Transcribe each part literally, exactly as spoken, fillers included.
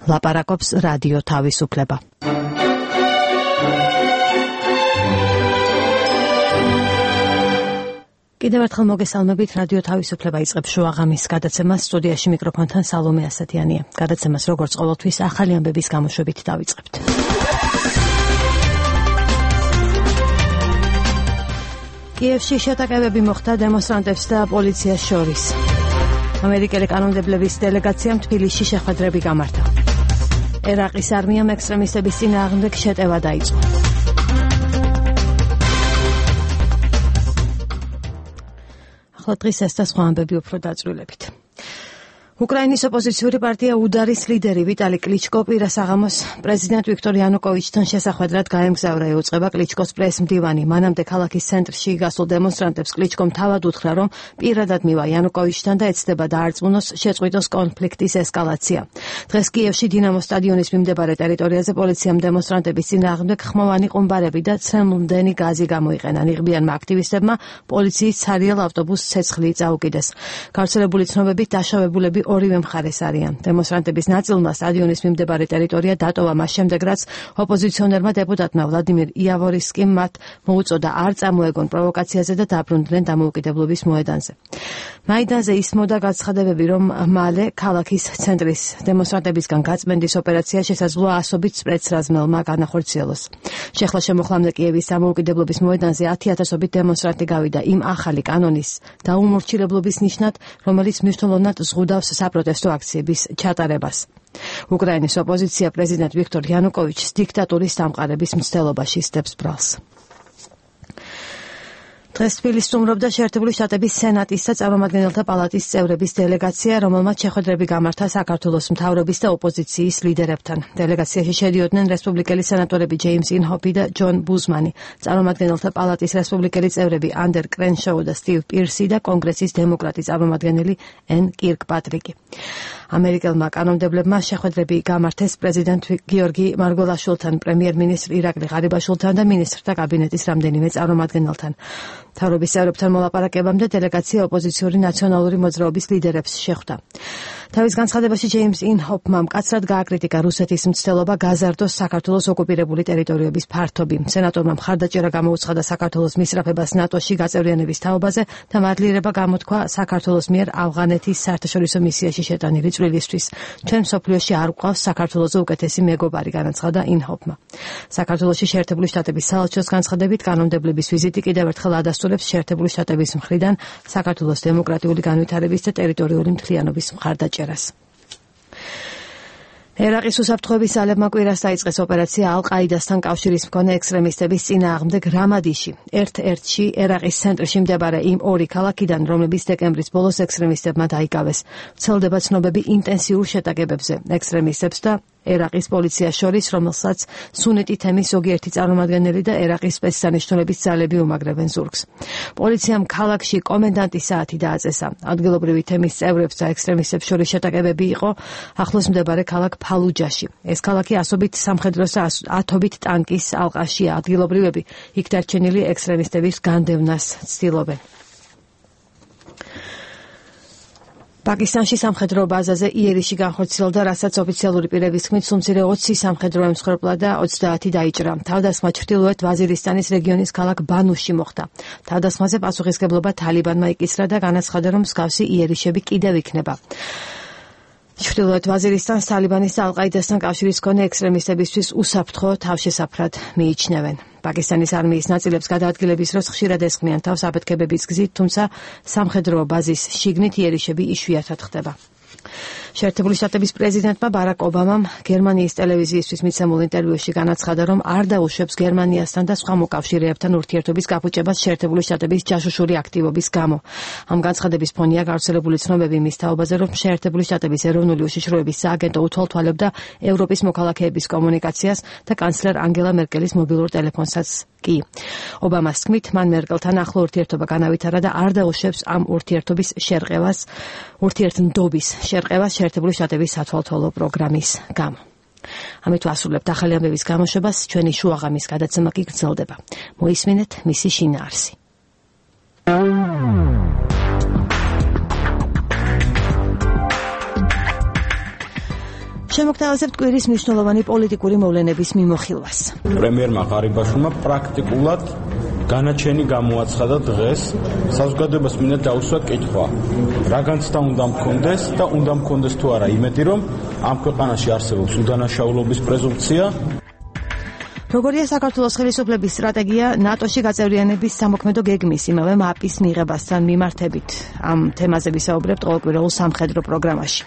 ლაპარაკობს რადიო თავისუფლება. კიდევ ერთხელ მოგესალმებით, რადიო თავისუფლება იწყებს შუაღამის გადაცემას, სტუდიაში მიკროფონთან სალომე ასათიანია. გადაცემას როგორც ყოველთვის ახალი ამბების გამოშვებით დავიწყებთ. კიევში შეტაკებები მოხდა დემონსტრანტებს და პოლიციას შორის. ამერიკელი კანონმდებლების დელეგაციამ თბილისში შეხვედრები გამართა. ერაყის არმიამ ექსტრემისტების წინააღმდეგ შეტევა დაიწყო. ახლა დღის ეს და სხვა ამბები უფრო დაწვრილებით. უკრაინის ოპოზიციური პარტია უდარის ლიდერი ვიტალი კლიჩკო პირა საღამოს პრეზიდენტ ვიქტორ იანუკოვიჩთან შესახვედრად გაემგზავრა. ეუწყება კლიჩკოს პრეს-მდივანი. მანამდე ქალაქის ცენტრში გასულ დემონსტრანტებს კლიჩკომ თავად უთხრა, რომ პირადად მივა იანუკოვიჩთან და ეცდება დაარწმუნოს შეწყვიტოს კონფლიქტის ესკალაცია. დღეს კიევში დინამოს სტადიონის მიმდებარე ტერიტორიაზე პოლიციამ დემონსტრანტების წინააღმდეგ ხმოვანი ყუმბარები და ცემლმდენი გაზი გამოიყენა. ნიღბიანმა აქტივისტებმა პოლიციის ცარიელ ავტობუსს ცეცხლი წაუკიდეს. გავრცელებული ცნობებით დაშავებულები ორივე მხარეს არიან. დემონსტრანტების ნაწილმა სტადიონის მიმდებარე ტერიტორია დატოვა მას შემდეგ, რაც ოპოზიციონერმა დეპუტატმა ვლადიმირ იავორისკიმ მათ მოუწოდა არ წამოეგონ პროვოკაციაზე და დაბრუნდნენ დამოუკიდებლობის მოედანზე. მაიდანზე ისმოდა გაცხადებები, რომ მალე ქალაქის ცენტრის დემონსტრანტებისგან გაწმენდის ოპერაცია შესაძლოა ასობით სპეცრაზმელმა განახორციელოს. შეხლა შემოხლამდე კიევის დამოუკიდებლობის მოედანზე ათი ათასობით დემონსტრანტი გავიდა იმ ახალი კანონის დაუმორჩილებლობის ნიშნად, რომელიც მნიშვნელოვნად ზღუდავს საპროტესტო აქციების ჩატარებას. უკრაინის ოპოზიცია პრეზიდენტ ვიქტორ იანუკოვიჩს დიქტატურის დამყარების მცდელობაში სდებს ბრალს. დღეს თბილისს სტუმრობდა შეერთებული შტატების სენატის და წარმომადგენელთა პალატის წევრების დელეგაცია, რომელმაც შეხვედრები გამართა საქართველოს მთავრობის და ოპოზიციის ლიდერებთან. დელეგაციაში შედიოდნენ რესპუბლიკელი სენატორები ჯეიმს ინჰოფი და ჯონ ბუზმანი, წარმომადგენელთა პალატის რესპუბლიკელი წევრები ანდერ კრენშოუ და სტივ პირსი და კონგრესის დემოკრატი წარმომადგენელი ენ კირკპატრიკი. ამერიკელმა კანონმდებლებმა შეხვედრები გამართეს პრეზიდენტ გიორგი მარგველაშვილთან, პრემიერ-მინისტრ ირაკლი ღარიბაშვილთან და მინისტრთა კაბინეტის რამდენიმე წარმომადგენელთან. მთავრობის წევრებთან მოლაპარაკებამდე დელეგაცია ოპოზიციური ნაციონალური მოძრაობის ლიდერებს შეხვდა. თავის განცხადებაში ჯეიმს ინჰოფმა მკაცრად გააკრიტიკა რუსეთის მცდელობა გაზარდოს საქართველოს ოკუპირებული ტერიტორიების ფართობი. სენატორმა მხარდაჭერა გამოუცხადა საქართველოს მისწრაფებას ნატოში გაწევრიანების თაობაზე და მადლიერება გამოთქვა საქართველოს მიერ ავღანეთის საერთაშორისო მისიაში შეტანილი წვლილისთვის. ჩვენ მსოფლიოში არ გვყავს საქართველოზე უკეთესი მეგობარი, განაცხადა ინჰოფმა. საქართველოში შეერთებული შტატების საელჩოს განცხადებით კანონმდებლების ვიზიტი კიდევ ერთხელ ადასტურებს შეერთებული შტატების მხრიდან საქართველოს დემოკრატიული განვითარების და ტერიტორიული მთლიანობის მხარდაჭერას. ერაყის უსაფრთხოების ძალებმა კვირას დაიწყეს ოპერაცია ალ-ყაიდასთან კავშირის მქონე ექსტრემისტების წინააღმდეგ რამადიში. ერთ-ერთში ერაყის ცენტრში მდებარე იმ ორი ქალაქიდან, რომლებიც დეკემბრის ბოლოს ექსტრემისტებმა დაიკავეს. ვრცელდება ცნობები ინტენსიურ შეტაკებებზე ექსტრემისტებს და ერაყის პოლიციას შორის, რომელსაც სუნიტი თემის ზოგიერთი წარმომადგენელი და ერაყის სპეცსანიშნულების ძალები უმაგრებენ ზურგს. პოლიციამ ქალაქში კომენდანტის საათი დააწესა. ადგილობრივი თემის წევრებს და ექსტრემისტებს შორის შეტაკებები იყო ახლოს მდებარე ქალაქ ფალუჯაში. ეს ქალაქი ასობით სამხედროს და ათობით ტანკის ალყაშია. ადგილობრივები იქ დარჩენილი ექსტრემისტების განდევნას ცდილობენ. პაკისტანში სამხედრო ბაზაზე იერიში განხორციელდა, რასაც ოფიციალური პირების თქმით სუმცირე ოცი სამხედრო ემსხვერპლა და ოცდაათი დაიჭრა. თავდასხმა ჩრდილოეთ ვაზირისტანის რეგიონის ქალაქ ბანუში მოხდა. თავდასხმაზე პასუხისგებლობა თალიბანმა იკისრა და განაცხადა, რომ მსგავსი იერიშები კიდევ იქნება. ჩრდილოეთ ვაზირისტანს თალიბანის და ალ-ყაიდასთან კავშირის მქონე ექსტრემისტებისთვის უსაფრთხო თავშესაფრად მიიჩნევენ. პაკისტანის არმიის ნაწილებს გადაადგილების დროს ხშირად ესხმიან თავს აფეთქებების გზით, თუმცა სამხედრო ბაზის შიგნით იერიშები იშვიათად ხდება. შეერთებული შტატების პრეზიდენტმა ბარაკ ობამამ გერმანიის ტელევიზიისთვის მიცემულ ინტერვიუში განაცხადა, რომ არ დაუშვებს გერმანიასთან და სხვა მოკავშირეებთან ურთიერთობის გაფუჭებას შეერთებული შტატების ჯაშუშური აქტივობის გამო. ამ განცხადების ფონია გავრცელებული ცნობები მის თაობაზე, რომ შეერთებული შტატების ეროვნული უშიშროების სააგენტო უთვალთვალებდა ევროპის მოქალაქეების კომუნიკაციას და კანცლერ ანგელა მერკელის მობილურ ტელეფონსაც კი. ობამას თქმით, მან მერკელთან ახლო ურთიერთობა განავითარა და არ დაუშვებს ამ ურთიერთობის შერყევას, ურთიერთნდობის შერყევას შეერთებული შტატების სათვალთვალო პროგრამის გამო. ამით ვასრულებთ ახალი ამბების გამოშვებას, ჩვენი შუაღამის გადაცემა კი გრძელდება. მოისმინეთ მისი შინაარსი. შემოგთავაზებთ კვირის მნიშვნელოვანი პოლიტიკური მოვლენების მიმოხილვას. პრემიერმა ღარიბაშვილმა პრაქტიკულად განაჩენი გამოაცხადა დღეს საზოგადოებას მინდა დაუსვა კითხვა რა განცდა უნდა მქონდეს და უნდა მქონდეს თუ არა იმედი რომ ამ ქვეყანაში არსებობს უდანაშაულობის პრეზუმპცია. როგორია საქართველოს ხელისუფლების სტრატეგია ნატოში გაწევრიანების სამოქმედო გეგმის იმავე მაპის მიღებასთან მიმართებით. ამ თემაზე ვისაუბრებთ ყოველკვირეულ სამხედრო პროგრამაში.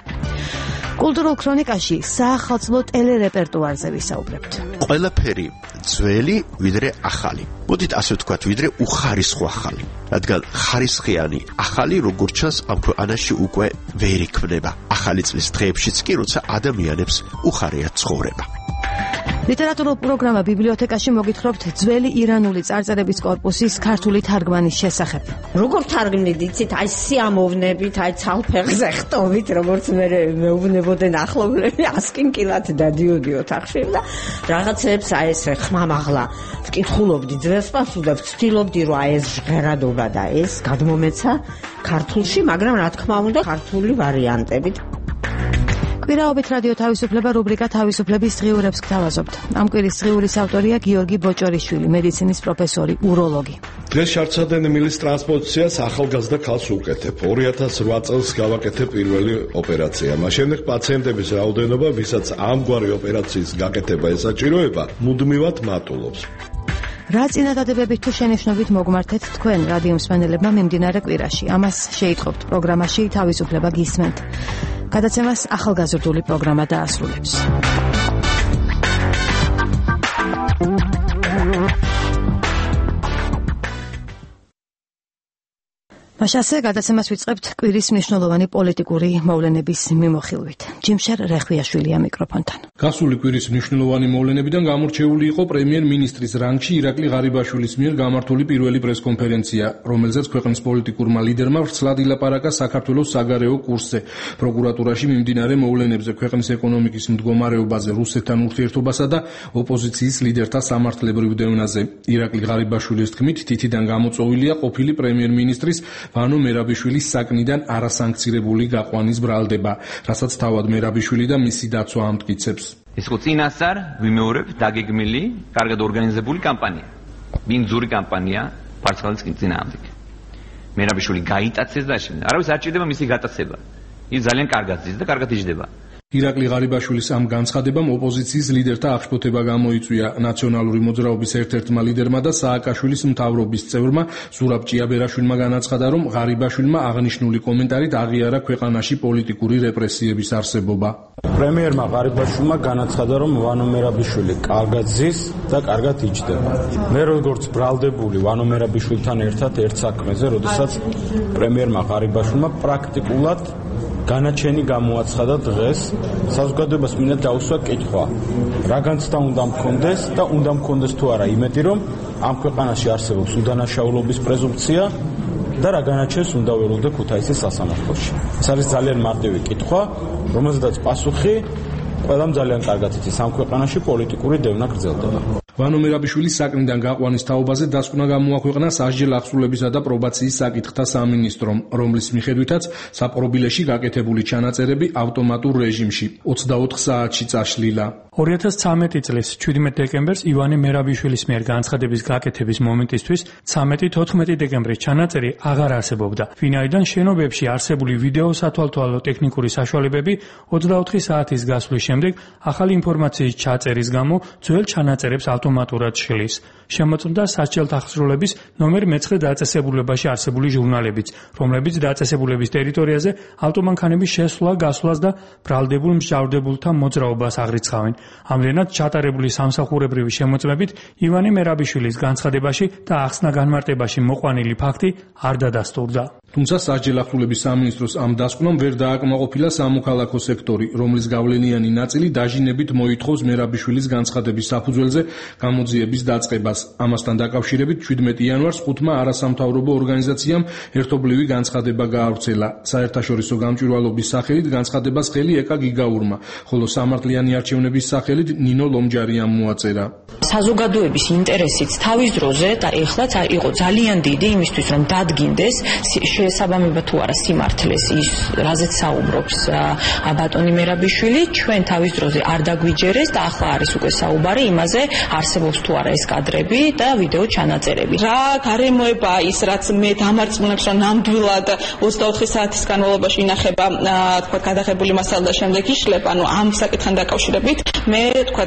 კულტურულ ქრონიკაში საახალწლო ტელერეპერტუარზე ვისაუბრებთ. ყველაფერი ძველი ვიდრე ახალი. მოდით ასე ვთქვათ, ვიდრე უხარისხო ახალი. რადგან ხარისხიანი ახალი როგორც ჩანს ამ ქვეყანაში უკვე ვერ იქმნება. ახალი წლის დღეებშიც კი როცა ადამიანებს უხარია ცხოვრება. ლიტერატურულ პროგრამა ბიბლიოთეკაში მოგითხრობთ ძველი ირანული წარწერების კორპუსის ქართული თარგმანის შესახებ. როგორ თარგმნით, იცით, აი სიამოვნებით, აი ცალფეხზე ხტობით, როგორც მე მეუბნებოდნენ ახლობლები, ასკინკილად დადიოდი ოთახში და რაღაცებს აი ეს ხმამაღლა ვკითხულობდი ძველს პასუხებს, ვცდილობდი რომ აი ეს ჟღერადობა და ეს გადმომეცა ქართულში, მაგრამ რა თქმა უნდა ქართული ვარიანტებით. კვირაობით რადიო თავისუფლება რუბრიკა თავისუფლების დღიურებს გთავაზობთ. ამ კვირის დღიურის ავტორია გიორგი ბოჭორიშვილი, მედიცინის პროფესორი, უროლოგი. დღეს შარცადენ მილის ტრანსპოზიციას ახალგაზრდა ქალს უკეთებ. ორი ათას რვა წელს გავაკეთე პირველი ოპერაცია. მას შემდეგ პაციენტების რაოდენობა, ვისაც ამგვარი ოპერაციის გაკეთება ესაჭიროება, მუდმივად მატულობს. რა წინადადებებით თუ შენიშვნებით მოგმართეთ თქვენ რადიო მსმენელებმა მიმდინარე კვირაში? ამას შეიტყობთ პროგრამაში თავისუფლება გისმენთ. გადაცემას ახალგაზრდული პროგრამა დაასრულებს. მაშასე გადაცემას ვიწყებთ კვირის მნიშვნელოვანი პოლიტიკური მოვლენების მიმოხილვით. ჯიმშერ რეხვიაშვილია მიკროფონთან. გასული კვირის მნიშვნელოვანი მოვლენებიდან გამორჩეული იყო პრემიერ-მინისტრის რანგში ირაკლი ღარიბაშვილის მიერ გამართული პირველი პრესკონფერენცია, რომელზეც ქვეყნის პოლიტიკურმა ლიდერმა ვრცლად ილაპარაკა საქართველოს საგარეო კურსზე, პროკურატურაში მიმდინარე მოვლენებზე, ქვეყნის ეკონომიკის მდგომარეობაზე, რუსეთთან ურთიერთობასა და ოპოზიციის ლიდერთა სამართლებრივ დევნაზე. ირაკლი ღარიბაშვილის თქმით, თითიდან გამოწვეულია ყოფილი პრემიერ-მინისტრის ვანო მერაბიშვილის საკნიდან არასანქცირებული გაყვანის ბრალდება, რასაც თავად მერაბიშვილი და მისი დაცვა ამტკიცებს. ეს ხო წინასწარ ვიმეორებ დაგეგმილი, კარგად ორგანიზებული კამპანია. ბინძური კამპანია ფარცხალის წინააღმდეგ. მერაბიშვილი გაიტაცეს და შემდეგ არავის არ ჭირდება მისი გატაცება. ის ძალიან კარგად ზის და კარგად იჯდება. ირაკლი ღარიბაშვილის ამ განცხადებამ ოპოზიციის ლიდერთა აღშფოთება გამოიწვია. ნაციონალური მოძრაობის ერთ-ერთმა ლიდერმა და სააკაშვილის მთავრობის წევრმა ზურაბ ჭიაბერაშვილმა განაცხადა, რომ ღარიბაშვილმა აღნიშნული კომენტარით აღიარა ქვეყანაში პოლიტიკური რეპრესიების არსებობა. პრემიერმა ღარიბაშვილმა განაცხადა, რომ ვანო მერაბიშვილი კარგად ზის და კარგად იჯდება. მე როგორც ბრალდებული ვანო მერაბიშვილთან ერთად ერთ საქმეზე, როდესაც პრემიერმა ღარიბაშვილმა პრაქტიკულად განაჩენი გამოაცხადა დღეს საზოგადოებას მინდა დაუსვა კითხვა რა განცდა უნდა მქონდეს და უნდა მქონდეს თუ არა იმედი რომ ამ ქვეყანაში არსებობს უდანაშაულობის პრეზუმპცია და რა განაჩენს უნდა ველოდე ქუთაისის სასამართლოში. ეს არის ძალიან მარტივი კითხვა, რომელზედაც პასუხი ყველამ ძალიან კარგად იცის, ამ ქვეყანაში პოლიტიკური დევნა გრძელდება. ვანო მერაბიშვილის საკნიდან გაყვანის თაობაზე დასკვნა გამოაქვეყნა სასჯელ აღსრულებისა და პრობაციის საკითხთა სამინისტრომ, რომლის მიხედვითაც საპყრობილეში გაკეთებული ჩანაწერები ავტომატურ რეჟიმში ოცდაოთხ საათში წაშლილა. ორი ათას ცხრამეტი წლის შვიდმეტი დეკემბერს ივანე მერაბიშვილის მიერ განცხადების გაკეთების მომენტისთვის ცამეტი თოთხმეტი დეკემბრის ჩანაწერი აღარ არსებობდა. ვინაიდან შენობებში არსებული ვიდეო სათვალთვალო ტექნიკური საშუალებები ოცდაოთხი საათის გასვლის შემდეგ ახალი ინფორმაციის ჩაწერის გამო ძველ ჩანაწერებს ავტომატურად შლის. შემოწმდა სასჯელთა აღსრულების ნომერ მეცხრე დაწესებულებაში არსებული ჟურნალებიც, რომლებიც დაწესებულების ტერიტორიაზე ავტომანქანების შესვლა, გასვლას და ბრალდებულ მსჯავრდებულთა მოძრაობას აღრიცხავენ. ამრენად ჩატარებული სამსახურებრივი შემოწმებით ივანე მერაბიშვილის განცხადებაში და ახსნა-განმარტებაში მოყვანილი ფაქტი არ დადასტურდა. თუმცა სასჯელ აღსრულების სამინისტროს ამ დასკვნამ ვერ დააკმაყოფილა სამოქალაქო სექტორი, რომლის გავლენიანი ნაწილი დაჟინებით მოითხოვს მერაბიშვილის განცხადების საფუძველზე გამოძიების დაწყებას. ამასთან დაკავშირებით შვიდმეტი იანვარს ხუთმა არასამთავრობო ორგანიზაციამ ერთობლივი განცხადება გაავრცელა. საერთაშორისო გამჭვირვალობის სახელით განცხადებას ხელი ეკა გიგაურმა, ხოლო სამართლიანი არჩევნების სახელით ნინო ლომჯარიამ მოაწერა. საზოგადოების ინტერესიც თავის დროზე და ეხლაც იყო ძალიან დიდი იმისთვის, რომ დადგინდეს შეესაბამება თუ არა სიმართლეს ის, რაზეც საუბრობს ბატონი მერაბიშვილი, ჩვენ თავის დროზე არ დაგვიჯერეს და ახლა არის უკვე საუბარი იმაზე, არსებობს თუ არა ეს კადრები და ვიდეო ჩანაწერები. რა გარემოება ის, რაც მე დამარწმუნებს, რომ ნამდვილად ოცდაოთხი საათის განმავლობაში ინახება, თქვა, გადაღებული მასალა და შემდეგ იშლება, ანუ ამ საკითხთან დაკავშირებით მე თქვა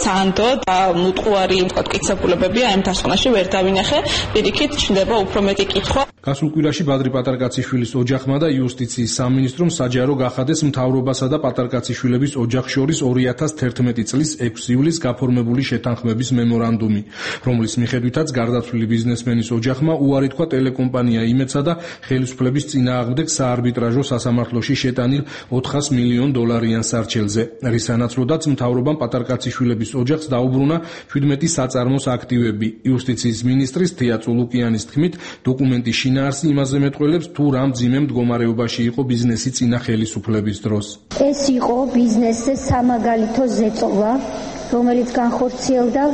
სანდო და მუტყუარი თქვა კითხებულებები ამ დასკვნაში ვერ დავინახე, პირიქით ჩნდება უფრო მეტი კითხვა. გასულ კვირაში ბადრი პატარკაციშვილის ოჯახმა და იუსტიციის სამინისტრომ საჯარო გახადეს მთავრობასა და პატარკაციშვილების ოჯახს შორის ორი ათას თერთმეტი წლის ექვსი ივლისს გაფორმებული შეთანხმების მემორანდუმი, რომლის მიხედვითაც გარდაცვლილი ბიზნესმენის ოჯახმა უარი თქვა ტელეკომპანია იმედსა და ხელისუფლების წინააღმდეგ საარბიტრაჟო სასამართლოში შეტანილ ოთხას მილიონ დოლარიან სარჩელზე, რის სანაცვლოდაც მთავრობამ პატარკაციშვილების ოჯახს დაუბრუნა შვიდმეტი საწარმოს აქტივები. იუსტიციის მინისტრის თია წულუკიანის თქმით, დოკუმენტის შინაარსი იმაზე მეტყველებს, თუ რა მძიმე მდგომარეობაში იყო ბიზნესი წინა ხელისუფლების დროს. ეს იყო ბიზნესზე სამაგალითო ზეწოლა, რომელიც განხორციელდა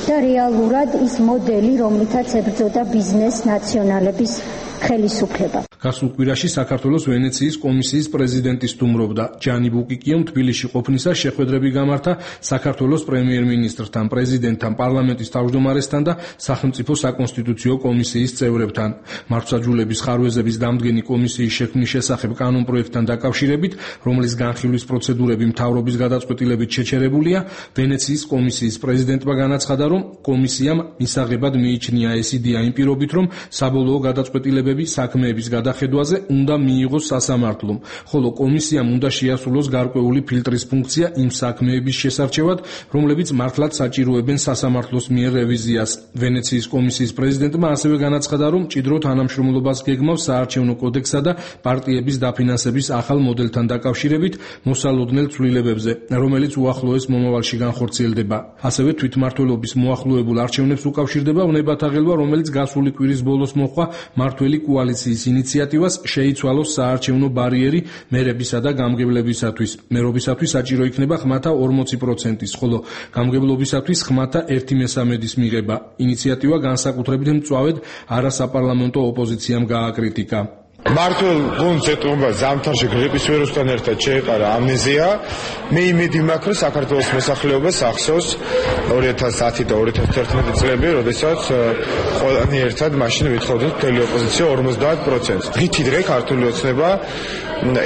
და რეალურად ის მოდელი, რომლითაც ებრძოდა ბიზნეს ნაციონალების ხელისუფლება. გასულ კვირაში საქართველოს ვენეციის კომისიის პრეზიდენტი სტუმრობდა. ჯანი ბუკიკიომ თბილისში ყოფნისას შეხვედრები გამართა საქართველოს პრემიერ-მინისტრთან, პრეზიდენტთან, პარლამენტის თავმჯდომარესთან და სახელმწიფო საკონსტიტუციო კომისიის წევრებთან. მართლმსაჯულების ხარვეზების დამდგენი კომისიის შექმნის შესახებ კანონპროექტთან დაკავშირებით, რომლის განხილვის პროცედურები მთავრობის გადაწყვეტილებით შეჩერებულია, ვენეციის კომისიის პრეზიდენტმა განაცხადა, რომ კომისიამ მისაღებად მიიჩნია ეს იდეა იმ პირობით, რომ საბოლოო გადაწყვეტილებები საქმეების გადახედვაზე უნდა მიიღოს სასამართლომ, ხოლო კომისიამ უნდა შეასრულოს გარკვეული ფილტრის ფუნქცია იმ საქმეების შესარჩევად, რომლებიც მართლაც საჭიროებენ სასამართლოს მიერ რევიზიას. ვენეციის კომისიის პრეზიდენტმა ასევე განაცხადა, რომ მჭიდრო თანამშრომლობას გეგმავს საარჩევნო კოდექსსა და პარტიების დაფინანსების ახალ მოდელთან დაკავშირებით მოსალოდნელ ცვლილებებზე, რომელიც უახლოეს მომავალში განხორციელდება. ასევე თვითმმართველობის მოახლოებულ არჩევნებს უკავშირდება უნებათა ღელვა, რომელიც გასული კვირის ბოლოს მოხდა მართველი კოალიციის ინიციატივას შეიცვალოს საარჩევნო ბარიერი მერებისა და გამგებლებისათვის. მერობისათვის საჭირო იქნება ხმათა ორმოცი პროცენტის, ხოლო გამგებლობისათვის ხმათა ერთი მესამედის მიღება. ინიციატივა განსაკუთრებით მწვავედ არასაპარლამენტო ოპოზიციამ გააკრიტიკა. მართულ გუნდს ეტყობა ზამთარში გრიპის ვირუსთან ერთად შეეყარა ამნეზია. მე იმედი მაქვს, რომ საქართველოს მოსახლეობას ახსოვს ორი ათას ათი და ორი ათას თერთმეტი წლები, როდესაც ყველანი ერთად მაშინ ვითხოვდით მთელი ოპოზიცია ორმოცდაათ პროცენტს. რითი დღე ქართული ოცნება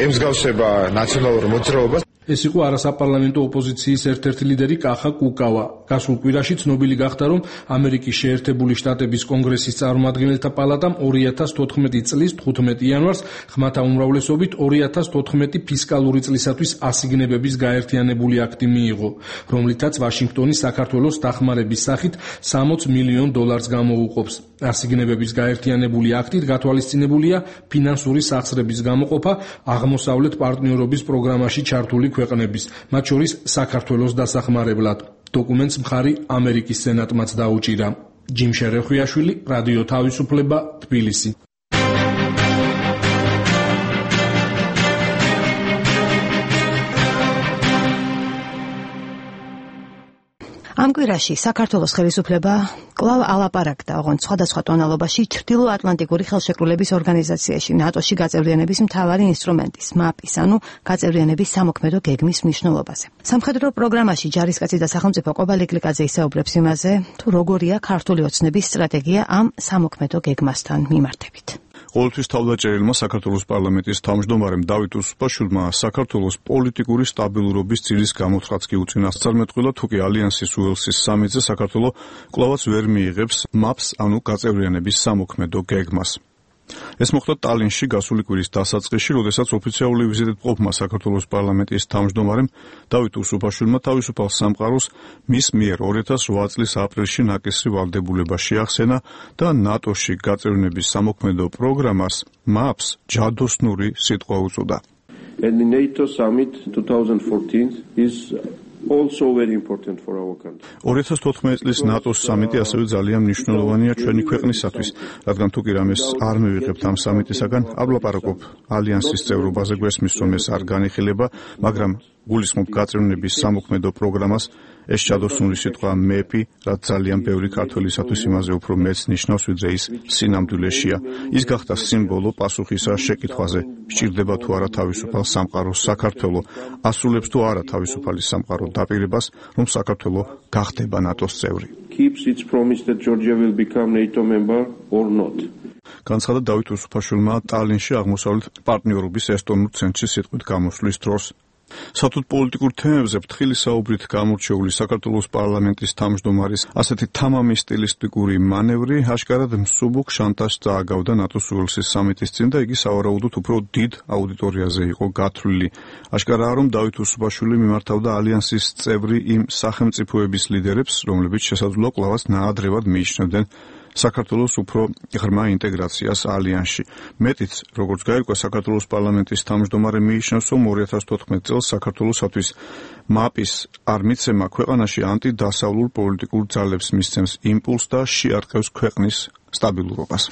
ემსგავსება ნაციონალურ მოძრაობას. ეს იყო არასაპარლამენტო ოპოზიციის ერთ-ერთი ლიდერი კახა კუკავა. გასულ კვირაში ცნობილი გახდა, რომ ამერიკის შეერთებული შტატების კონგრესის წარმომადგენელთა პალატამ ორი ათას თოთხმეტი წლის თხუთმეტი იანვარს ხმათა უმრავლესობით ორი ათას თოთხმეტი ფისკალური წლისათვის ასიგნებების გაერთიანებული აქტი მიიღო, რომლითაც ვაშინგტონი საქართველოს დახმარების სახით სამოც მილიონ დოლარს გამოუყოფს. ასიგნებების გაერთიანებული აქტით გათვალისწინებულია ფინანსური სახსრების გამოყოფა აღმოსავლეთ პარტნიორობის პროგრამაში ჩართული ქვეყნების, მათ შორის საქართველოს დასახმარებლად. დოკუმენტს მხარი ამერიკის სენატმაც დაუჭირა. ჯიმ შერეხვიაშვილი, რადიო თავისუფლება, თბილისი. ამ კვირაში საქართველოს ხელისუფლება კვლავ ალაპარაკდა, ოღონდ სხვადასხვა ტონალობაში ჩრდილო-ატლანტიკური ხელშეკრულების ორგანიზაციაში, ნატოში გაწევრიანების მთავარი ინსტრუმენტის, მაპის, ანუ გაწევრიანების სამოქმედო გეგმის მნიშვნელობაზე. სამხედრო პროგრამაში ჯარისკაცი და სახელმწიფო ყოფილი გლიკაძე ისაუბრებს იმაზე, თუ როგორია ქართული ოცნების სტრატეგია ამ სამოქმედო გეგმასთან მიმართებით. ყოველთვის თავდაჭერილმა საქართველოს პარლამენტის თავმჯდომარემ დავით უსუპაშვილმა საქართველოს პოლიტიკური სტაბილურობის ძილის გამოცხადს კი უწინასწარმეტყველა, თუკი ალიანსის უელსის სამიტზე საქართველო კვლავაც ვერ მიიღებს მაპს, ანუ გაწევრიანების სამოქმედო გეგმას. ეს მოხდა ტალინში გასული კვირის დასაწყისში, როდესაც ოფიციალური ვიზიტით მყოფმა საქართველოს პარლამენტის თავმჯდომარემ დავით უსუპაშვილმა თავისუფალ სამყაროს მის მიერ ორი ათას ოთხ წლის aprilში ნაკისრი ვალდებულება შეახსენა და ნატოში გაწევრიანების სამოქმედო პროგრამას მაპს ჯადოსნური სიტყვა უწოდა. And the NATO summit twenty fourteen is also very important for our country. ორი ათას თოთხმეტი წლის ნატოს სამიტი ასევე ძალიან მნიშვნელოვანია ჩვენი ქვეყნისათვის, რადგან თუ კი რამეს არ მივიღებთ ამ სამიტისაგან, არ ვლაპარაკობ ალიანსის წევრობაზე, გვესმის, რომ ეს არ განიხილება, მაგრამ გულისხმობ გაწევრიანების სამოქმედო პროგრამას. ეს ჩადოსნული სიტყვა მეპი, რაც ძალიან ბევრი ქართველისათვის იმაზე უფრო მეც ნიშნავს, ვიდრე ის სინამდვილეშია. ის გახდა სიმბოლო პასუხისა შეკითხვაზე, სჭირდება თუ არა თავისუფალ სამყაროს საქართველო, ასრულებს თუ არა თავისუფალი სამყარო დაპირებას, რომ საქართველო გახდება ნატოს წევრი. Keeps its promise that Georgia will become NATO member or not. განცხადა დავით უსუფაშვილმა ტალინში აღმოსავლეთ პარტნიორობის ესტონურ ცენტრში სიტყვით გამოსვლის დროს. სათუთ პოლიტიკურ თემებზე ფრთხილი საუბრით გამორჩეული საქართველოს პარლამენტის თავმჯდომარის ასეთი თამამი სტილისტიკური მანევრი აშკარად მსუბუქ შანტაჟს წააგავდა ნატოს უელსის სამიტის წინ და იგი სავარაუდოდ უფრო დიდ აუდიტორიაზე იყო გათვლილი. აშკარაა, რომ დავით უსუფაშვილი მიმართავდა ალიანსის წევრი იმ სახელმწიფოების ლიდერებს, რომლებიც შესაძლოა კვლავაც ნაადრევად მიიჩნევდნენ საქართველოს უფრო ღრმა ინტეგრაციას ალიანსში. მეტიც, როგორც გაირკვა, საქართველოს პარლამენტის თავმჯდომარე მიიჩნევს, რომ ორი ათას თოთხმეტ წელს საქართველოსათვის მაპის არ მიცემა ქვეყანაში ანტიდასავლურ პოლიტიკურ ძალებს მისცემს იმპულსს და შეარყევს ქვეყნის სტაბილურობას.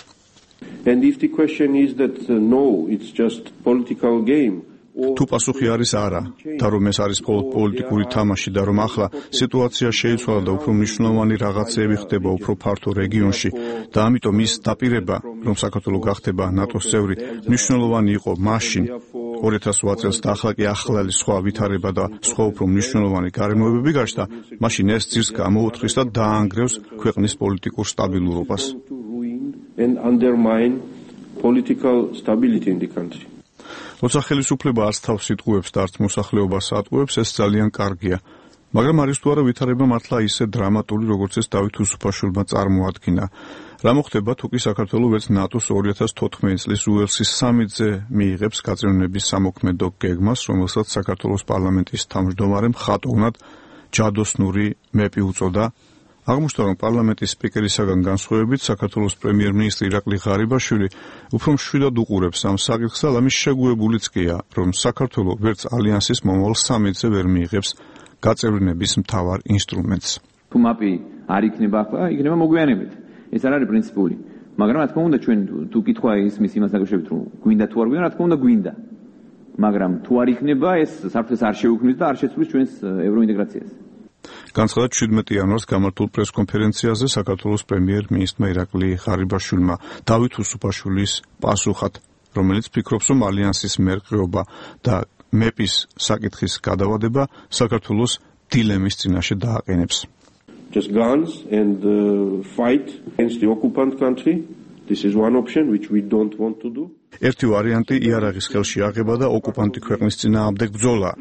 And if the question is that uh, no, it's just political game. თუ პასუხი არის არა და რომ ეს არის მხოლოდ პოლიტიკური თამაში და რომ ახლა სიტუაცია შეიცვალა და უფრო მნიშვნელოვანი რაღაცეები ხდება უფრო ფართო რეგიონში და ამიტომ ის დაპირება რომ საქართველო გახდება ნატოს წევრი მნიშვნელოვანი იყო მაშინ ორი ათას ოთხ წელს და ახლა კი ახლალი სხვა ვითარება და სხვა უფრო მნიშვნელოვანი გარემოებები გაჩნდა, მაშინ ეს ძირს გამოუთხრის და დაანგრევს ქვეყნის პოლიტიკურ სტაბილურობას. And undermine political stability in the country. როცა ხელისუფლება არც თავს იტყუებს და არც მოსახლეობას ატყუებს, ეს ძალიან კარგია. მაგრამ არის თუ არა ვითარება მართლა ისე დრამატული, როგორც ეს დავით უსუფაშვილმა წარმოადგინა. რა მოხდება თუ კი საქართველო ვერც ნატოს ორი ათას თოთხმეტი წლის უელსის სამიტზე მიიღებს გაწევრიანების სამოქმედო გეგმას, რომელსაც საქართველოს პარლამენტის თავმჯდომარემ ხატოვნად ჯადოსნური მეპი უწოდა. აღმოჩნდა, რომ პარლამენტის სპიკერისაგან განსხვავებით საქართველოს პრემიერ-მინისტრი ირაკლი ღარიბაშვილი უფრო მშვიდად უყურებს ამ საკითხს და ამის შეგუებულიც კია, რომ საქართველო ვერც ალიანსის მომავალ სამიტზე ვერ მიიღებს გაწევრიანების მთავარ ინსტრუმენტს. თუ მაპი არ იქნება ახლა, იქნება მოგვიანებით. ეს არ არის პრინციპული. მაგრამ რა თქმა უნდა, ჩვენ თუ კითხვა ისმის იმას დაკავშირებით, რომ გვინდა თუ არ გვინდა, რა თქმა უნდა გვინდა. მაგრამ თუ არ იქნება, ეს საფრთხეს არ შეუქმნის და არ შეცვლის ჩვენს ევროინტეგრაციას. განცხადა შვიდმეტი იანვარს გამართულ პრესკონფერენციაზე საქართველოს პრემიერ-მინისტრმა ირაკლი ღარიბაშვილმა დავით უსუფაშვილის პასუხად, რომელიც ფიქრობს, რომ ალიანსის მერყეობა და მეპის საკითხის გადავადება საქართველოს დილემის წინაშე დააყენებს. Just guns and uh, fight against the occupant country. This is one option which we don't want to do. ერთი ვარიანტი იარაღის ხელში აღება და ოკუპანტი ქვეყნის წინააღმდეგ ბრძოლა.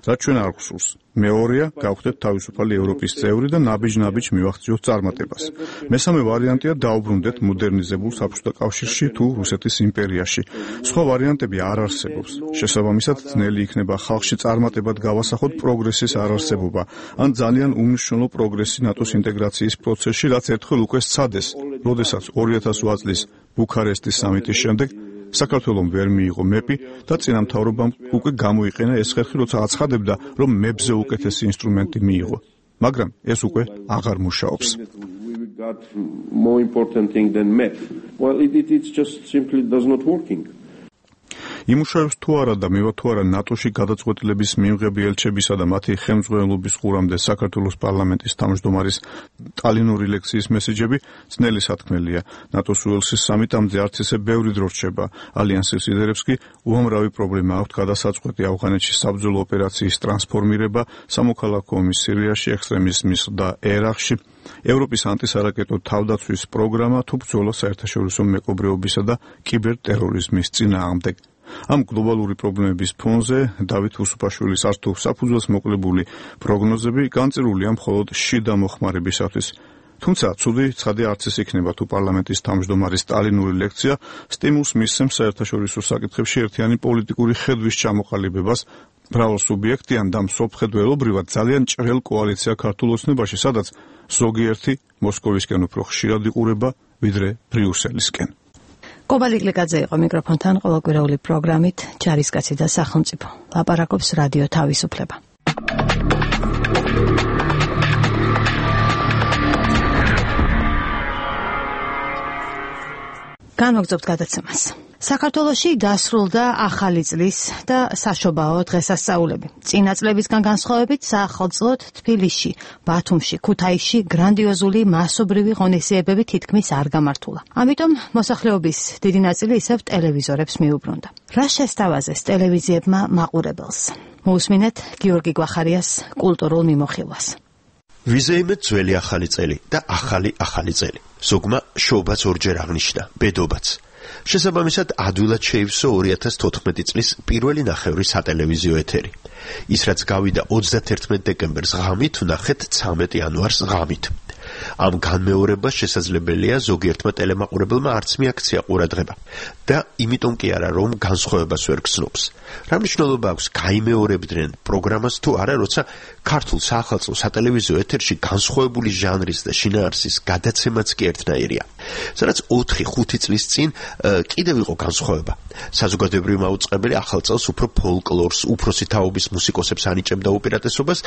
რაც ჩვენ არ გვსურს. მეორეა, გავხდეთ თავისუფალი ევროპის წევრი და ნაბიჯ-ნაბიჯ მივახციოთ წარმატებას. მესამე ვარიანტია დაუბრუნდეთ მოდერნიზებულ საბჭოთა კავშირში თუ რუსეთის იმპერიაში. სხვა ვარიანტები არ არსებობს. შესაბამისად, ძნელი იქნება ხალხში წარმატებად გავასახოთ პროგრესის არარსებობა, ან ძალიან უმნიშვნელო პროგრესი ნატოს ინტეგრაციის პროცესში, რაც ერთხელ უკვე სცადეს, როდესაც ორი ათას ოთხ წლის ბუქარესტის სამიტის შემდეგ საქართველომ ვერ მიიღო მეპი და წინამთავრობამ უკვე გამოიყენა ეს ხერხი, როცა აცხადებდა, რომ მეპზე უკეთესი ინსტრუმენტი მიიღო. მაგრამ ეს უკვე აღარ მუშაობს. Got more important thing than map. Well, it, it it's just simply does not working. იმუშავებს თუ არა და მევა თუ არა ნატოში გადაწყვეტილების მიღები ელჩებისა და მათი ხელმძღვანელობის ყურამდე საქართველოს პარლამენტის თავმჯდომარის ტალინური ლექციის მესეჯები ძნელი სათქმელია. ნატოს უელსის სამიტამდე არც ისე ბევრი დრო რჩება. ალიანსის ლიდერებს კი უამრავი პრობლემა აქვთ გადასაწყვეტი ავღანეთში საბრძოლო ოპერაციის ტრანსფორმირება, სამოქალაქო ომის სირიაში, ექსტრემიზმის და ერაყში, ევროპის ანტისარაკეტო თავდაცვის პროგრამა თუ ბრძოლა საერთაშორისო მეკობრეობისა და კიბერტერორიზმის წინააღმდეგ. ამ გლობალური პრობლემების ფონზე დავით უსუფაშვილის არც თუ საფუძველს მოკლებული პროგნოზები განწირულია მხოლოდ შიდა მოხმარებისათვის. თუმცა ცუდი ცხადი არც ის იქნება თუ პარლამენტის თავმჯდომარის სტალინური ლექცია სტიმულს მისცემს საერთაშორისო საკითხებში ერთიანი პოლიტიკური ხედვის ჩამოყალიბებას მრავალსუბიექტიან და მსოფლმხედველობრივად ძალიან ჭრელ კოალიცია ქართულ ოცნებაში, სადაც ზოგიერთი მოსკოვისკენ უფრო ხშირად იყურება ვიდრე ბრიუსელისკენ. კობალი გლიკაძე იყო მიკროფონთან ყოველკვირეული პროგრამით ჯარისკაცი და სახელმწიფო. ლაპარაკობს რადიო თავისუფლება. განვაგრძობთ გადაცემას. საქართველოში დასრულდა ახალი წლის და საშობაო დღესასწაულები. წინა წლებისგან განსხვავებით საახალწლოდ თბილისში, ბათუმში, ქუთაისში გრანდიოზული მასობრივი ღონისძიებები თითქმის არ გამართულა. ამიტომ მოსახლეობის დიდი ნაწილი ისევ ტელევიზორებს მიუბრუნდა. რა შესთავაზეს ტელევიზიებმა მაყურებელს? მოусმინეთ გიორგი გვახარიას კულტურულ მიმოხილვას. ვიზეიმე ძველი ახალი წელი და ახალი ახალი წელი. ზოგმა შობაც ორჯერ აღნიშნა, ბედობაც. შესაბამისად ადვილად შეივსო ორი ათას თოთხმეტი წლის პირველი ნახევრი სატელევიზიო ეთერი. ის რაც გავიდა ოცდაათერთმეტ დეკემბერს ღამით, ვნახეთ ცამეტ იანვარს ღამით. ამ განმეორებას შესაძლებელია ზოგიერთმა ტელემაყურებელმა არც მიაქცია ყურადღება და იმიტომ კი არა რომ განსხვავებას ვერ გრძნობს. რა მნიშვნელობა აქვს გაიმეორებდნენ პროგრამას თუ არა, როცა ქართულ საახალწლო სატელევიზიო ეთერში განსხვავებული ჟანრის და შინაარსის გადაცემაც კი ერთნაირია. სადაც ოთხი ხუთი წლის წინ კიდევ იყო განსხვავება. საზოგადოებრივი მაუწყებელი ახალ წელს უფრო ფოლკლორს, უფროსი თაობის მუსიკოსებს ანიჭებდა უპირატესობას,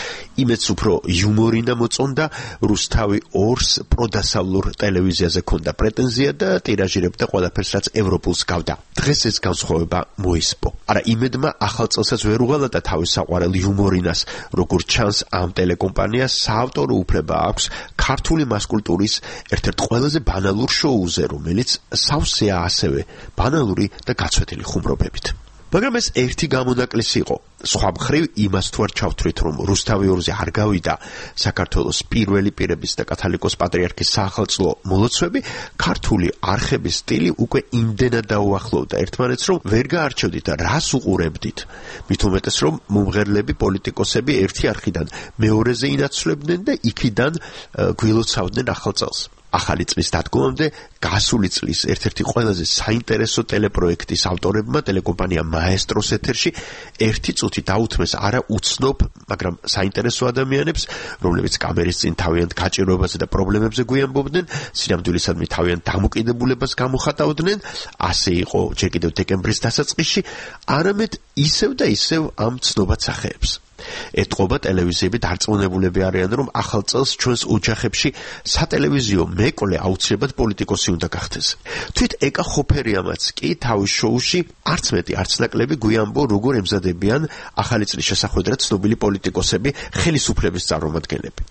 იმედს უფრო იუმორინა მოწონდა, რუსთავი ორს პროდასავლურ ტელევიზიაზე ჰქონდა პრეტენზია და ტირაჟირებდა ყველაფერს, რაც ევროპულს გავდა. დღეს ეს განსხვავება მოისპო. არა, იმედმა ახალ წელსაც ვერ უღალატა თავის საყვარელ იუმორინას, როგორც ჩანს ამ ტელეკომპანიას საავტორო უფლება აქვს ქართული მასკულტურის ერთ-ერთ ყველაზე ბანალურ შოუზე, რომელიც სავსეა ასევე ბანალური და გაცვეთილი ხუმრობებით. მაგრამ ეს ერთი გამონაკლისი იყო. სხვა მხრივ იმას თუ არ ჩავთვლით, რომ რუსთავი ორზე არ გავიდა საქართველოს პირველი პირების და კათალიკოს პატრიარქის საახალწლო მოლოცვები, ქართული არხების სტილი უკვე იმდენად დაუახლოვდა ერთმანეთს, რომ ვერ გაარჩევდით რას უყურებდით. მით უმეტეს, რომ მომღერლები, პოლიტიკოსები ერთი არხიდან მეორეზე ინაცვლებდნენ და იქიდან გვილოცავდნენ ახალ წელს. ახალი წლის დადგომამდე გასული წლის ერთ-ერთი ყველაზე საინტერესო ტელეპროექტის ავტორებმა ტელეკომპანია მაესტროს ეთერში ერთი წუთი დაუთმეს არა უცნობ, მაგრამ საინტერესო ადამიანებს, რომლებიც კამერის წინ თავიანთ გაჭირვებაზე და პრობლემებზე გვიამბობდნენ, სინამდვილისადმი თავიანთ დამოკიდებულებას გამოხატავდნენ, ასე იყო ჯერ კიდევ დეკემბრის დასაწყისში, არამედ ისევ და ისევ ამ ცნობად სახეებს. ეტყობა ტელევიზიები დარწმუნებულები არიან, რომ ახალ წელს ჩვენს ოჯახებში სატელევიზიო მეკლე აუცილებლად პოლიტიკოსი უნდა გახდეს. თვით ეკა ხოფერიამაც კი თავის შოუში არც მეტი არც ნაკლები გვიამბო, როგორ ემზადებიან ახალი წლის შესახვედრად ცნობილი პოლიტიკოსები, ხელისუფლების წარმომადგენლები.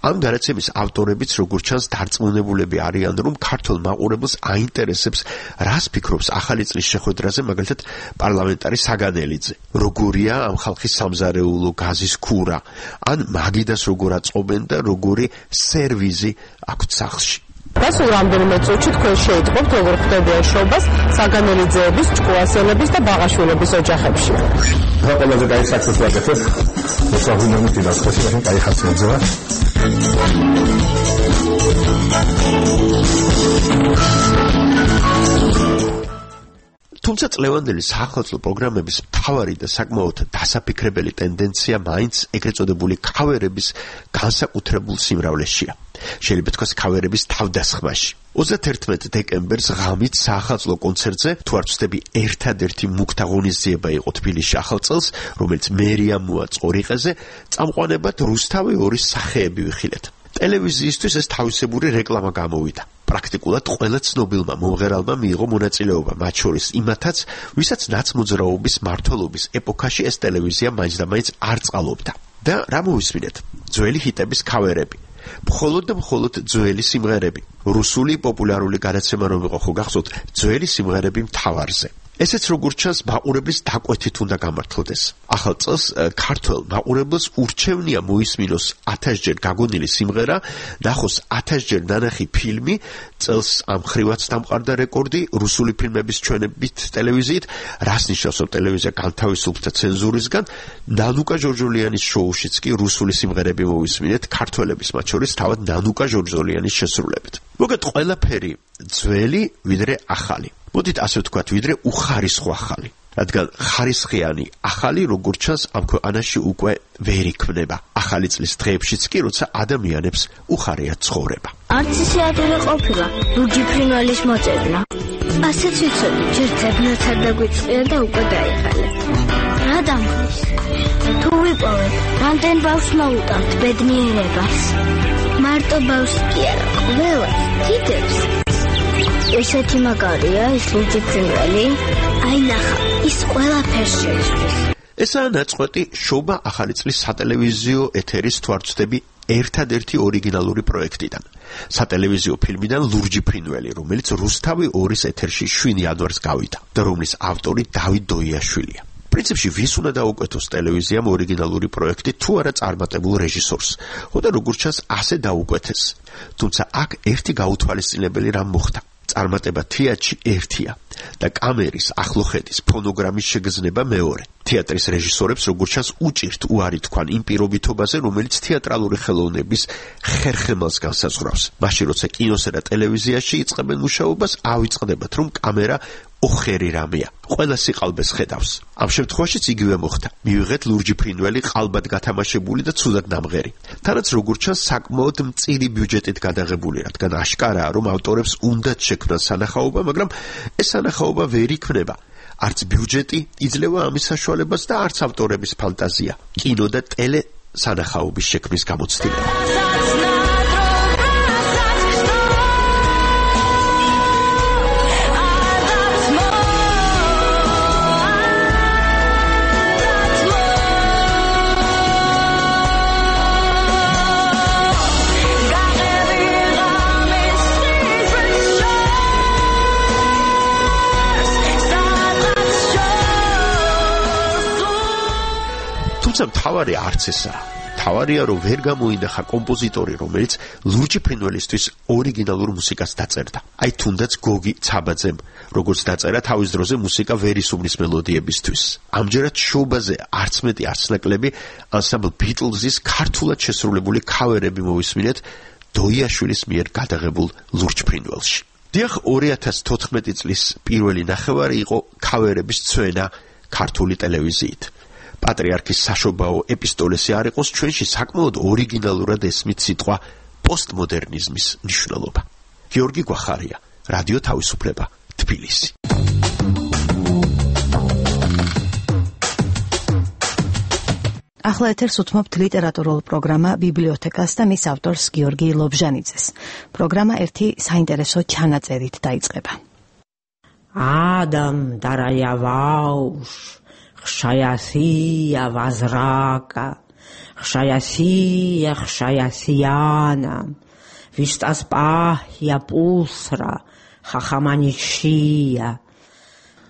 ამ განაცემის ავტორებიც როგორც ჩანს დარწმუნებულები არიან, რომ ქართულ მაყურებელს აინტერესებს, რას ფიქრობს ახალი წლის შეხვედრაზე მაგალითად პარლამენტარი საგანელიძე. როგორია ამ ხალხის სამზარეულო გაზის ქურა, ან მაგიდას როგორ აწყობენ და როგორი სერვიზი აქვთ სახლში. გასულ რამდენიმე წუთში თქვენ შეიტყობთ, როგორ ხდებიან შობას საგანელიძეების, ჭკუასელების და ბაღაშვილების ოჯახებში. რა ყველაზე კაი საქმეს ვაკეთებ? მოსაღვინებით ინახოს, მაგრამ კაი ხასი ეძება. თუმცა წლევანდელი საახალწლო პროგრამების მთავარი და საკმაოდ დასაფიქრებელი ტენდენცია მაინც ეგრეთ წოდებული ქავერების განსაკუთრებულ სიმრავლეშია. შეიძლება თქვას ქავერების თავდასხმაში. ოცდაათერთმეტ დეკემბერს ღამით საახალწლო კონცერტზე, თუ არ ვცდები, ერთადერთი მუქთა ღონისძიება იყო თბილისში ახალ წელს, რომელიც მერია მოაწყო რიყეზე, წამყვანებად რუსთავი ორის სახეები ვიხილეთ. ტელევიზიისთვის ეს თავისებური რეკლამა გამოვიდა. პრაქტიკულად ყველა ცნობილმა მომღერალმა მიიღო მონაწილეობა, მათ შორის იმათაც, ვისაც ნაცმოძრაობის მმართველობის ეპოქაში ეს ტელევიზია მაინც-და-მაინც არ წყალობდა. და რა მოვისმინეთ? ძველი ჰიტების ქავერები. მხოლოდ და მხოლოდ ძველი სიმღერები. რუსული პოპულარული გადაცემა რომ იყო, ხო გახსოვთ, ძველი სიმღერები მთავარზე. ესეც როგორც ჩანს მაყურებლის დაკვეთით უნდა გამართლდეს. ახალ წელს ქართველ მაყურებელს ურჩევნია მოისმინოს ათასჯერ გაგონილი სიმღერა, ნახოს ათასჯერ ნანახი ფილმი, წელს ამ ხრივაც დამყარდა რეკორდი რუსული ფილმების ჩვენებით ტელევიზიით, რას ნიშნავს რომ ტელევიზია განთავისუფლდა ცენზურისგან, ნანუკა ჟორჟოლიანის შოუშიც კი რუსული სიმღერები მოვისმინეთ ქართველების, მათ შორის თავად ნანუკა ჟორჟოლიანის შესრულებით. მოგეთ ყველაფერი ძველი ვიდრე ახალი. მოდით ასე ვთქვათ, ვიდრე უხარისხო ახალი. რადგან ხარისხიანი ახალი როგორც ჩანს ამ ქვეყანაში უკვე ვერ იქმნება. ახალი წლის დღეებშიც კი, როცა ადამიანებს უხარიათ ცხოვრება. არც ისე ადვილი ყოფილა, ლუჯი ფრინველის მოწევნა. ასეც ვიცოდი, ჯერ ძებნაც არ დაგვიწყია და უკვე დაიხალეთ. რა დამხნის? თუ ვიპოვეთ, რამდენ ბავშვს მოუტანთ ბედნიერებას? მარტო ბავშვს კი არა, ყველას, დიდებს. ესეთი მაგარია ის ლურჯი ფრინველი? აი ნახა, ის ყველაფერს შეიცვლის. ესაა ნაწყვეტი შობა ახალი წლის სატელევიზიო ეთერის თვარცდები ერთადერთი ორიგინალური პროექტიდან. სატელევიზიო ფილმიდან ლურჯი ფრინველი, რომელიც რუსთავი ორის ეთერში შვიდ იანვარს გავიდა და რომლის ავტორი დავით დოიაშვილია. პრინციპში ვის უნდა დაუკვეთოს ტელევიზიამ ორიგინალური პროექტი თუ არა წარმატებულ რეჟისორს. ხოდა როგორც ჩანს ასე დაუკვეთეს. თუმცა აქ ერთი გაუთვალისწინებელი რამ მოხდა. წარმატება თეატრში ერთია და კამერის, ახლოხედის, ფონოგრამის შეგრძნება მეორე. თეატრის რეჟისორებს როგორც ჩანს უჭირთ უარი თქვან იმ პირობითობაზე, რომელიც თეატრალური ხელოვნების ხერხემალს განსაზღვრავს. მაშინ როცა კინოსა და ტელევიზიაში იწყებენ მუშაობას, ავიწყდებათ, რომ კამერა ოხერი რამეა. ყველა სიყალბეს ხედავს. ამ შემთხვევაშიც იგივე მოხდა. მივიღეთ ლურჯი ფრინველი ყალბად გათამაშებული და ცუდად ნამღერი. თანაც როგორც ჩანს საკმაოდ მწირი ბიუჯეტით გადაღებული, რადგან აშკარაა, რომ ავტორებს უნდათ შექმნან სანახაობა, მაგრამ ეს სანახაობა ვერ იქმნება. არც ბიუჯეტი იძლევა ამის საშუალებას და არც ავტორების ფანტაზია. კინო და ტელე სანახაობის შექმნის გამოცდილება. თუმცა მთავარი არც ესაა. მთავარია, რომ ვერ გამოინახა კომპოზიტორი, რომელიც ლურჯი ფრინველისთვის ორიგინალურ მუსიკას დაწერდა. აი თუნდაც გოგი ცაბაძემ, როგორც დაწერა თავის დროზე მუსიკა ვერისუბნის მელოდიებისთვის. ამჯერად შოუბაზე არც მეტი არც ნაკლები ანსამბლ ბიტლზის ქართულად შესრულებული ქავერები მოვისმინეთ დოიაშვილის მიერ გადაღებულ ლურჯ ფრინველში. დიახ, ორი ათას თოთხმეტი წლის პირველი ნახევარი იყო ქავერების ცვენა ქართული ტელევიზიით. პატრიარქის საშობაო ეპისტოლესი არ იყოს ჩვენში საკმაოდ ორიგინალურად ესმით სიტყვა პოსტმოდერნიზმის მნიშვნელობა. გიორგი გვახარია, რადიო თავისუფლება, თბილისი. ახლა ეთერს უთმობთ ლიტერატურულ პროგრამა ბიბლიოთეკას და მის ავტორს გიორგი ლობჟანიძეს. პროგრამა ერთი საინტერესო ჩანაწერით დაიწყება. Адам дарая вауш ხშაიასია ვაზრაკა ხშაიასია ხშაიასიანა ვისტას პაჰია პულსრა ხახამანიშია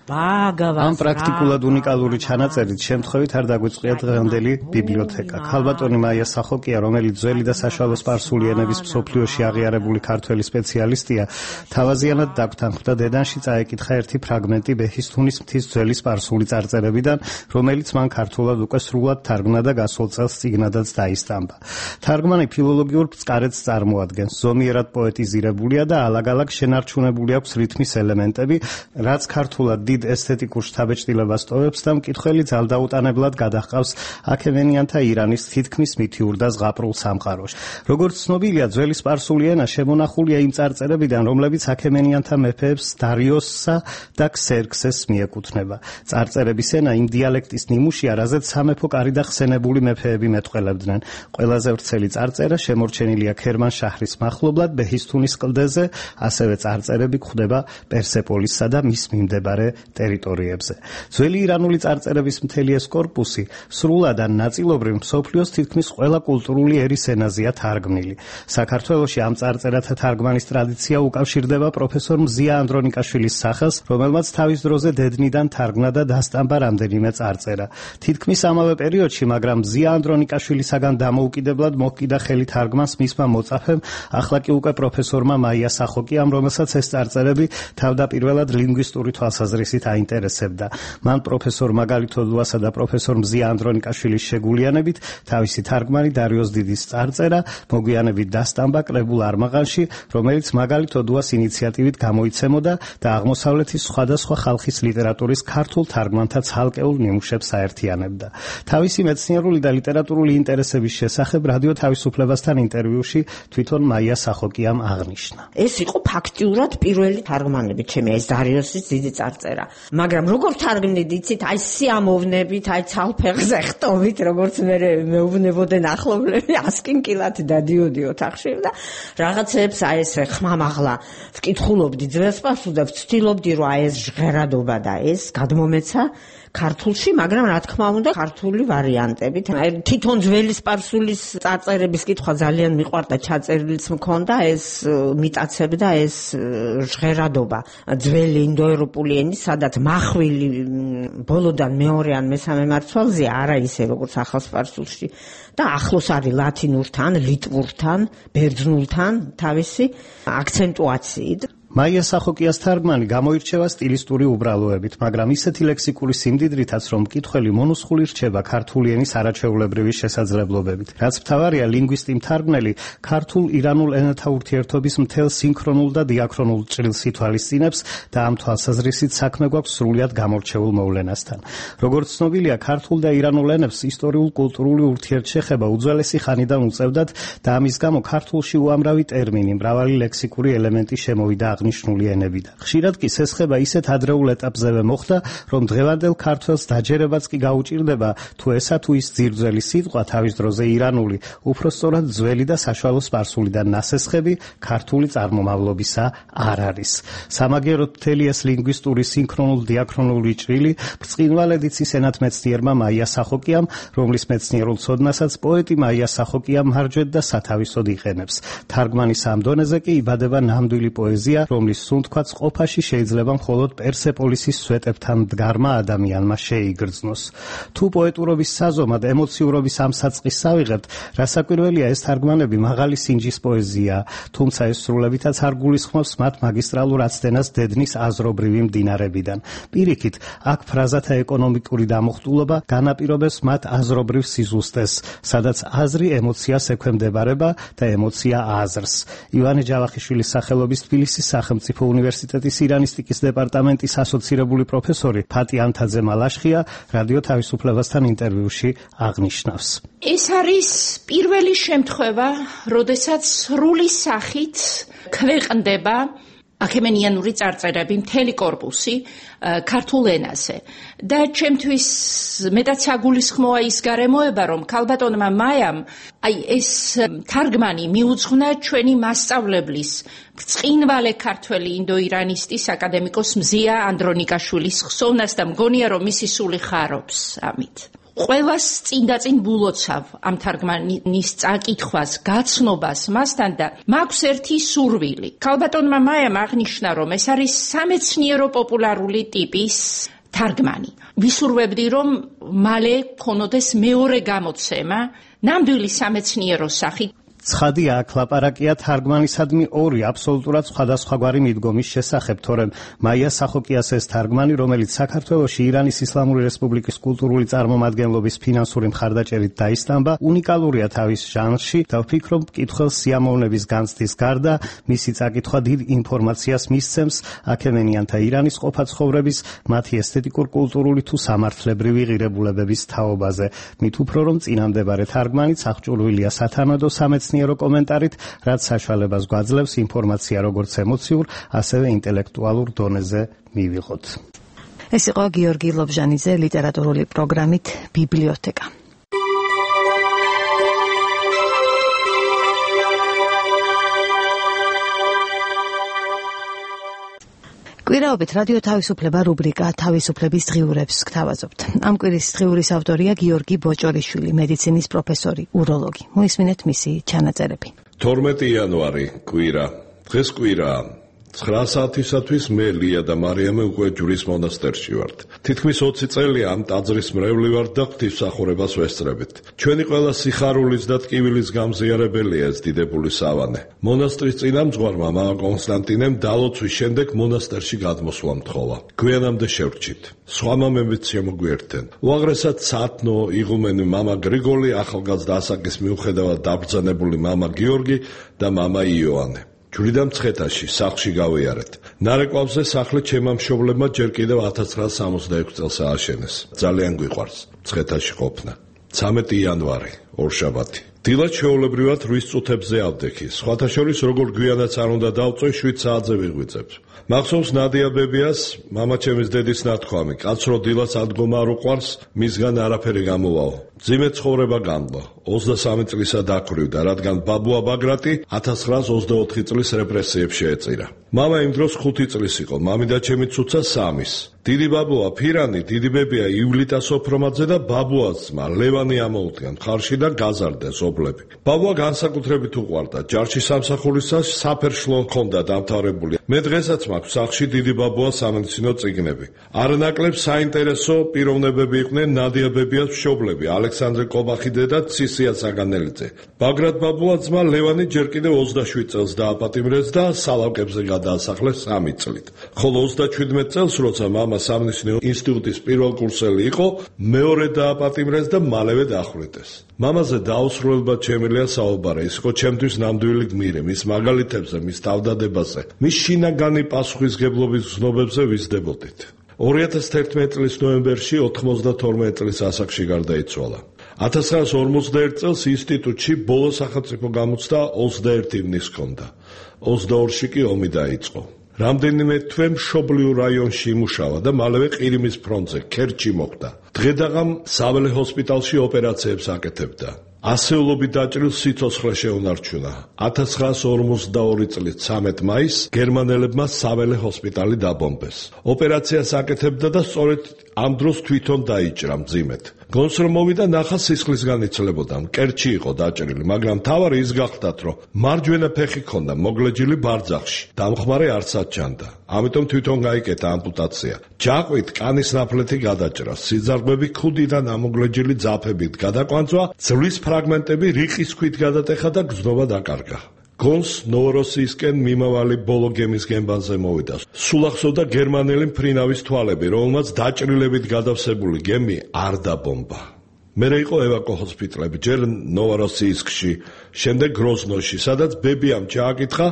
ამ პრაქტიკულად უნიკალური ჩანაწერით შემთხვევით არ დაგვიწყია დღევანდელი ბიბლიოთეკა. ქალბატონი მაია სახოკია, რომელიც ძველი და საშუალო სპარსული ენების მსოფლიოში აღიარებული ქართველი სპეციალისტია, თავაზიანად დაგთანხმდა დედანში წაეკითხა ერთი ფრაგმენტი ბეჰისთუნის მთის ძველი სპარსული წარწერებიდან, რომელიც მან ქართულად უკვე სრულად თარგმნა და გასულ წელს წიგნადაც დაისტამბა. თარგმანი ფილოლოგიურ წყარეთს წარმოადგენს, ზომიერად პოეტიზირებულია და ალაგ-ალაგ შენარჩუნებული აქვს რითმის ელემენტები, რაც ქართულად ესთეტიკურ შთაბეჭდილებას ტოვებს და მკითხველი ძალდაუტანებლად გადაჰყავს აქემენიანთა ირანის თითქმის მითიურ და ზღაპრულ სამყაროში. როგორც ცნობილია, ძველი სპარსული ენა შემონახულია იმ წარწერებიდან, რომლებიც აქემენიანთა მეფეებს დარიოსსა და ქსერქსეს მიეკუთვნება. წარწერების ენა იმ დიალექტის ნიმუშია, რაზეც სამეფო კარი და ხსენებული მეფეები მეტყველებდნენ. ყველაზე ვრცელი წარწერა შემორჩენილია ქერმანშაჰრის მახლობლად ბეჰისთუნის კლდეზე, ასევე წარწერები გვხვდება პერსეპოლისსა და მის მიმდებარე ტერიტორიებზე. ძველი ირანული წარწერების მთელი ეს კორპუსი სრულად ან ნაწილობრივ მსოფლიოს თითქმის ყველა კულტურული ერის ენაზეა თარგმნილი. საქართველოში ამ წარწერათა თარგმანის ტრადიცია უკავშირდება პროფესორ მზია ანდრონიკაშვილის სახელს, რომელმაც თავის დროზე დედნიდან თარგმნა და დასტამბა რამდენიმე წარწერა. თითქმის ამავე პერიოდში, მაგრამ მზია ანდრონიკაშვილისაგან დამოუკიდებლად მოჰკიდა ხელი თარგმანს მისმა მოწაფემ, ახლა კი უკვე პროფესორმა მაია სახოკიამ, რომელსაც ეს წარწერები თავდაპირველად ლინგვისტური თვალსაზრისით აინტერესებდა. მან პროფესორ მაგალით ოდუასა და პროფესორ მზია ანდრონიკაშვილის შეგულიანებით თავისი თარგმანი დარიოს დიდის წარწერა მოგვიანებით დასტამბა კრებულ არმაღანში, რომელიც მაგალით ოდუას ინიციატივით გამოიცემოდა და აღმოსავლეთის სხვადასხვა ხალხის ლიტერატურის ქართულ თარგმანთა ცალკეულ ნიმუშებს აერთიანებდა. თავისი მეცნიერული და ლიტერატურული ინტერესების შესახებ რადიო თავისუფლებასთან ინტერვიუში თვითონ მაია სახოკიამ აღნიშნა. ეს იყო ფაქტიურად პირველი თარგმანები ჩემი ეს დარიოსის დიდი წარწერა. მაგრამ როგორ თარგმნით იცით აი სიამოვნებით აი ცალფეხზე ხტობით როგორც მე მეუბნებოდნენ ახლობლები ასკინკილად დადიოდი ოთახში და რაღაცებს აი ეს ხმამაღლა ვკითხულობდი ძველს პასუხს და ვცდილობდი რომ აი ეს ჟღერადობა და ეს გადმომეცა ქართულში, მაგრამ რა თქმა უნდა ქართული ვარიანტებით. თვითონ ძველი სპარსულის წარწერების კითხვა ძალიან მიყვარდა, ჩაწერილიც მქონდა ეს მიტაცებდა ეს ჟღერადობა ძველი ინდოევროპული ენის, სადაც მახვილი ბოლოდან მეორე ან მესამე მარცვალზეა, არა ისე როგორც ახალ სპარსულში და ახლოს არის ლათინურთან, ლიტვურთან, ბერძნულთან თავისი აქცენტუაციით. მაია სახოკიას თარგმანი გამოირჩევა სტილისტური უბრალოებით, მაგრამ ისეთი ლექსიკური სიმდიდრითაც, რომ მკითხველი მონუსხული რჩება ქართული ენის არაჩვეულებრივი შესაძლებლობებით. რაც მთავარია, ლინგვისტი მთარგმნელი ქართულ-ირანულ ენათა ურთიერთობის მთელ სინქრონულ და დიაქრონულ ჭრილს ითვალისწინებს და ამ თვალსაზრისით საქმე გვაქვს სრულიად გამორჩეულ მოვლენასთან. როგორც ცნობილია, ქართულ და ირანულ ენებს ისტორიულ-კულტურული ურთიერთშეხება უძველესი ხანიდან უწევდათ და ამის გამო ქართულში უამრავი ტერმინი, მრავალი ლექსიკური ელემენტი შემოვიდა აღნიშნული ენებიდან. ხშირად კი სესხება ისეთ ადრეულ ეტაპზევე მოხდა, რომ დღევანდელ ქართველს დაჯერებაც კი გაუჭირდება, თუ ესა თუ ის ძირძველი სიტყვა თავის დროზე ირანული, უпростоრად ძველი და საშუალო სპარსულიდან ნასესხები ქართული წარმომავლობისა არ არის. სამაგიეროდ მთელი ეს ლინგვისტური სინქრონულ დიაქრონული ჭრილი ბრწყინვალედ იცის ენათმეცნიერმა მაია სახოკიამ, რომლის მეცნიერულ ცოდნასაც პოეტი მაია სახოკია მარჯვედ და სათავისოდ იყენებს. თარგმანის ამ დონეზე კი იბადება ნამდვილი პოეზია, რომლის სუნთქვაც ყოფაში შეიძლება მხოლოდ პერსეპოლისის სვეტებთან მდგარმა ადამიანმა შეიგრძნოს. თუ პოეტურობის საზომად ემოციურობის ამ საწყისს ავიღებთ, რასაკვირველია ეს თარგმანები მაღალი სინჯის პოეზია, თუმცა ეს სრულებითაც არ გულისხმობს მათ მაგისტრალურ აცდენას დედნის აზრობრივი მდინარებიდან. პირიქით, აქ ფრაზათა ეკონომიკური დამოხტულობა განაპირობებს მათ აზრობრივ სიზუსტეს, სადაც აზრი ემოციას ექვემდებარება და ემოცია აზრს. ივანე ჯავახიშვილის სახელობის თბილისის სახელმწიფო უნივერსიტეტის ირანისტიკის დეპარტამენტის ასოცირებული პროფესორი ფატი ანთაძე მალაშხია რადიო თავისუფლებასთან ინტერვიუში აღნიშნავს. ეს არის პირველი შემთხვევა, როდესაც სრული სახით ქვეყნდება აქემენიანური წარწერები, მთელი კორპუსი ქართულ ენაზე. და ჩემთვის მეტად საგულისხმოა ის გარემოება, რომ ქალბატონმა მაიამ აი ეს თარგმანი მიუძღვნა ჩვენი მასწავლებლის ბრწყინვალე ქართველი ინდოირანისტის აკადემიკოს მზია ანდრონიკაშვილის ხსოვნას და მგონია, რომ მისი სული ხარობს ამით. ყველას წინ-დაწინ ბულოცავ ამ თარგმანის წაკითხვას, გაცნობას მასთან და მაქვს ერთი სურვილი. ქალბატონმა მაიამ აღნიშნა, რომ ეს არის სამეცნიერო პოპულარული ტიპის თარგმანი. ვისურვებდი, რომ მალე ქონოდეს მეორე გამოცემა, ნამდვილი სამეცნიერო სახით. ცხადია, აქ ლაპარაკია თარგმანისადმი ორი აბსოლუტურად სხვადასხვაგვარი მიდგომის შესახებ, თორემ მაია სახოკიას ეს თარგმანი, რომელიც საქართველოში ირანის ისლამური რესპუბლიკის კულტურული წარმომადგენლობის ფინანსური მხარდაჭერით დაისტამბა, უნიკალურია თავის ჟანრში და ვფიქრობ, მკითხველს სიამოვნების განცდის გარდა მისი წაკითხვა დიდ ინფორმაციას მისცემს აქემენიანთა ირანის ყოფაცხოვრების, მათი ესთეტიკურ-კულტურული თუ სამართლებრივი ღირებულებების თაობაზე. მით უფრო რომ წინამდებარე თარგმანიც აღჭურვილია სათანადო სამეცნიერო კომენტარით, რაც საშუალებას გვაძლევს ინფორმაცია როგორც ემოციურ, ასევე ინტელექტუალურ დონეზე მივიღოთ. ეს იყო გიორგი ლობჟანიძე ლიტერატურული პროგრამით ბიბლიოთეკა. კვირაობით რადიო თავისუფლება რუბრიკა თავისუფლების დღიურებს გთავაზობთ. ამ კვირის დღიურის ავტორია გიორგი ბოჭორიშვილი, მედიცინის პროფესორი, უროლოგი. მოისმინეთ მისი ჩანაწერები. თორმეტი იანვარი კვირა. დღეს კვირაა. ცხრა საათისათვის მე ლია და მარიამე უკვე ჯვრის მონასტერში ვართ. თითქმის ოცი წელია ამ ტაძრის მრევლი ვართ და ღვთისმსახურებას ვესწრებით. ჩვენი ყველა სიხარულის და ტკივილის გამზიარებელია ეს დიდებული სავანე. მონასტრის წინამძღვარმა მამა კონსტანტინემ დალოცვის შემდეგ მონასტერში გადმოსვლა მთხოვა. გვიანამდე შევრჩით. სხვა მამებიც შემოგვიერთდნენ. უაღრესად სათნო იღუმენი მამა გრიგოლი, ახალგაზრდა ასაკის მიუხედავად დაბრძანებული მამა გიორგი და მამა იოანე. ჯვრიდან მცხეთაში, სახლში გავიარეთ. ნარეკვავზე სახლი ჩემმა მშობლებმა ჯერ კიდევ ათას ცხრაას სამოცდაექვსი წელს ააშენეს. ძალიან გვიყვარს მცხეთაში ყოფნა. ცამეტი იანვარი, ორშაბათი. დილად ჩვეულებრივად რვის წუთებზე ავდექი. სხვათა შორის, როგორ გვიანაც არ უნდა დავწვე, შვიდ საათზე ვიღვიძებ. მახსოვს ნადია ბებიას, მამაჩემის დედის ნათქვამი, კაცრო დილას ადგომა არ უყვარს, მისგან არაფერი გამოვაო. ძიმე ცხოვრება განვლო. ოცდასამი წლისა დაქვრივდა, რადგან ბაბუა ბაგრატი ათას ცხრაას ოცდაოთხი წლის რეპრესიებს შეეწირა. მამა იმ დროს ხუთი წლის იყო, მამიდა ჩემი ცუცა სამის. დიდი ბაბუა ფირანი, დიდი ბებია ივლიტა სოფრომაძე და ბაბუას ძმა ლევანი ამოუდგა მხარში და გაზარდა სოფლები. ბაბუა განსაკუთრებით უყვარდა, ჯარში სამსახურისას საფერშლო ჰქონდა დამთავრებული. მე დღესაც მაქვს სახლში დიდი ბაბუას სამედიცინო წიგნები. არანაკლებ საინტერესო პიროვნებები იყვნენ ნადია ბებიას მშობლები, ალექსანდრე კობახიდე და ცისია საგანელიძე. ბაგრატ ბაბუას ძმა ლევანი ჯერ კიდევ ოცდაშვიდ წელს დააპატიმრეს და სალავკებზე გადაასახლეს სამი წლით. ხოლო ოცდაჩვიდმეტ წელს, როცა მამა სამედიცინო ინსტიტუტის პირველ კურსელი იყო, მეორე დააპატიმრეს და მალევე დახვრიტეს. მამაზე დაუსრულებლად შემიძლია საუბარი, ის იყო ჩემთვის ნამდვილი გმირი, მის მაგალითებზე, მის თავდადებაზე, მის შინაგანი პასუხისგებლობის გზნობებზე ვიზრდებოდით. ორი ათას თერთმეტი წლის ნოემბერში ოთხმოცდათორმეტ წლის ასაკში გარდაიცვალა. ათას ცხრაას ორმოცდაერთ წელს ინსტიტუტში ბოლო სახელმწიფო გამოცდა ოცდაერთი ივნის ჰქონდა. ოცდაორში კი ომი დაიწყო. რამდენიმე თვე მშობლიურ რაიონში იმუშავა და მალევე ყირიმის ფრონტზე, ქერჩი მოხვდა. დღედაღამ საველე ჰოსპიტალში ოპერაციებს აკეთებდა. ასეულობით დაჭრილ სიცოცხლე შეუნარჩუნა. ათას ცხრაას ორმოცდაორი წლის ცამეტ მაისს გერმანელებმა საველე ჰოსპიტალი დაბომბეს. ოპერაციას აკეთებდა და სწორედ ამ დროს თვითონ დაიჭრა მძიმედ. გონს რომ მოვიდა ნახა სისხლისგან იცლებოდა, მკერჩი იყო დაჭრილი, მაგრამ თავარი ის გახდათ, რომ მარჯვენა ფეხი ჰქონდა მოგლეჯილი ბარძახში, დამხმარე არცად ჩანდა. ამიტომ თვითონ გაიკეთა ამპუტაცია. ჯაყვით კანის ნაფლეთი გადაჭრა, სიძარღვები ქუდიდან ამოგლეჯილი ძაფებით გადაკვანძვა, ძვლის ფრაგმენტები რიყის ქვით გადატეხა და გზნობა დაკარგა. გონს ნოვოროსიისკენ მიმავალი ბოლო გემის გემბანზე მოვიდა. სულ ახსოვდა გერმანელი მფრინავის თვალები, რომელმაც დაჭრილებით გადავსებული გემი არ დაბომბა. მერე იყო ევაკო ჰოსპიტალები, ჯერ ნოვოროსიისკში, შემდეგ გროზნოში, სადაც ბებიამ ჩააკითხა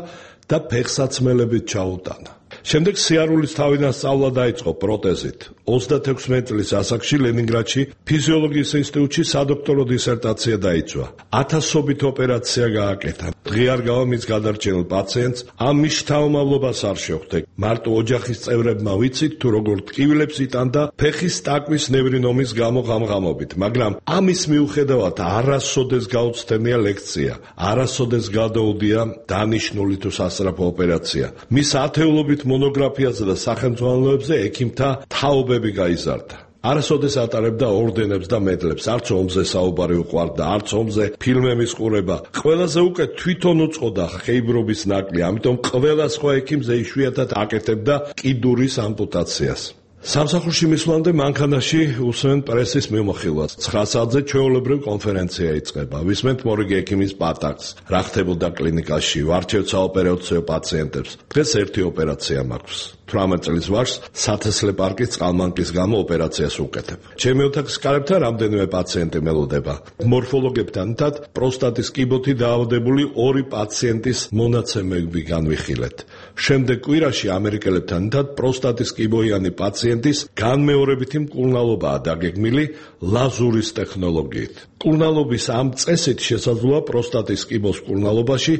და ფეხსაცმელებით ჩაუტანა. შემდეგ სიარულის თავიდან სწავლა დაიწყო პროტეზით. ოცდათექვსმეტ წლის ასაკში ლენინგრადში ფიზიოლოგიის ინსტიტუტში სადოქტორო დისერტაცია დაიცვა. ათასობით ოპერაცია გააკეთა. დღე არ გავა მის გადარჩენილ პაციენტს, ამ მის შთამომავლობას არ შეხვდა. მარტო ოჯახის წევრებმა ვიცით თუ როგორ ტკივილებს იტანდა ფეხის ტაკვის ნევრინომის გამო ღამღამობით, მაგრამ ამის მიუხედავად არასოდეს გაუცდენია ლექცია, არასოდეს გადაუდია დანიშნული თუ სასწრაფო ოპერაცია. მის ათეულობით მონოგრაფიაზე და სახელმძღვანელოებზე ექიმთა თაობები გაიზარდა. არასოდეს ატარებდა ორდენებს და მედლებს, არც ომზე საუბარი უყვარდა, არც ომზე ფილმების ყურება. ყველაზე უკეთ თვითონ უწყოდა ხეიბრობის ნაკლი, ამიტომ ყველა სხვა ექიმზე იშვიათად აკეთებდა კიდურის ამპუტაციას. სამსახურში მისვლამდე მანქანაში უსმენ პრესის მიმოხილვას. ცხრა საათზე ჩვეულებრივ კონფერენცია იწყება. ვისმენთ მორიგი ექიმის პატაკს, რა ხდებოდა კლინიკაში, ვარჩევთ საოპერაციო პაციენტებს. დღეს ერთი ოპერაცია მაქვს. თვრამეტ წლის ვარს სათესლე პარკის წყალმანკის გამო ოპერაციას ვუკეთებ. ჩემი ოთახის კარებთან რამდენიმე პაციენტი მელოდება. მორფოლოგებთან თად პროსტატის კიბოთი დაავადებული ორი პაციენტის მონაცემები განვიხილეთ. შემდეგ კვირაში ამერიკელებთან თად პროსტატის კიბოიანი პაციენტის განმეორებითი მკურნალობაა დაგეგმილი ლაზურის ტექნოლოგიით. მკურნალობის ამ წესით შესაძლოა პროსტატის კიბოს მკურნალობაში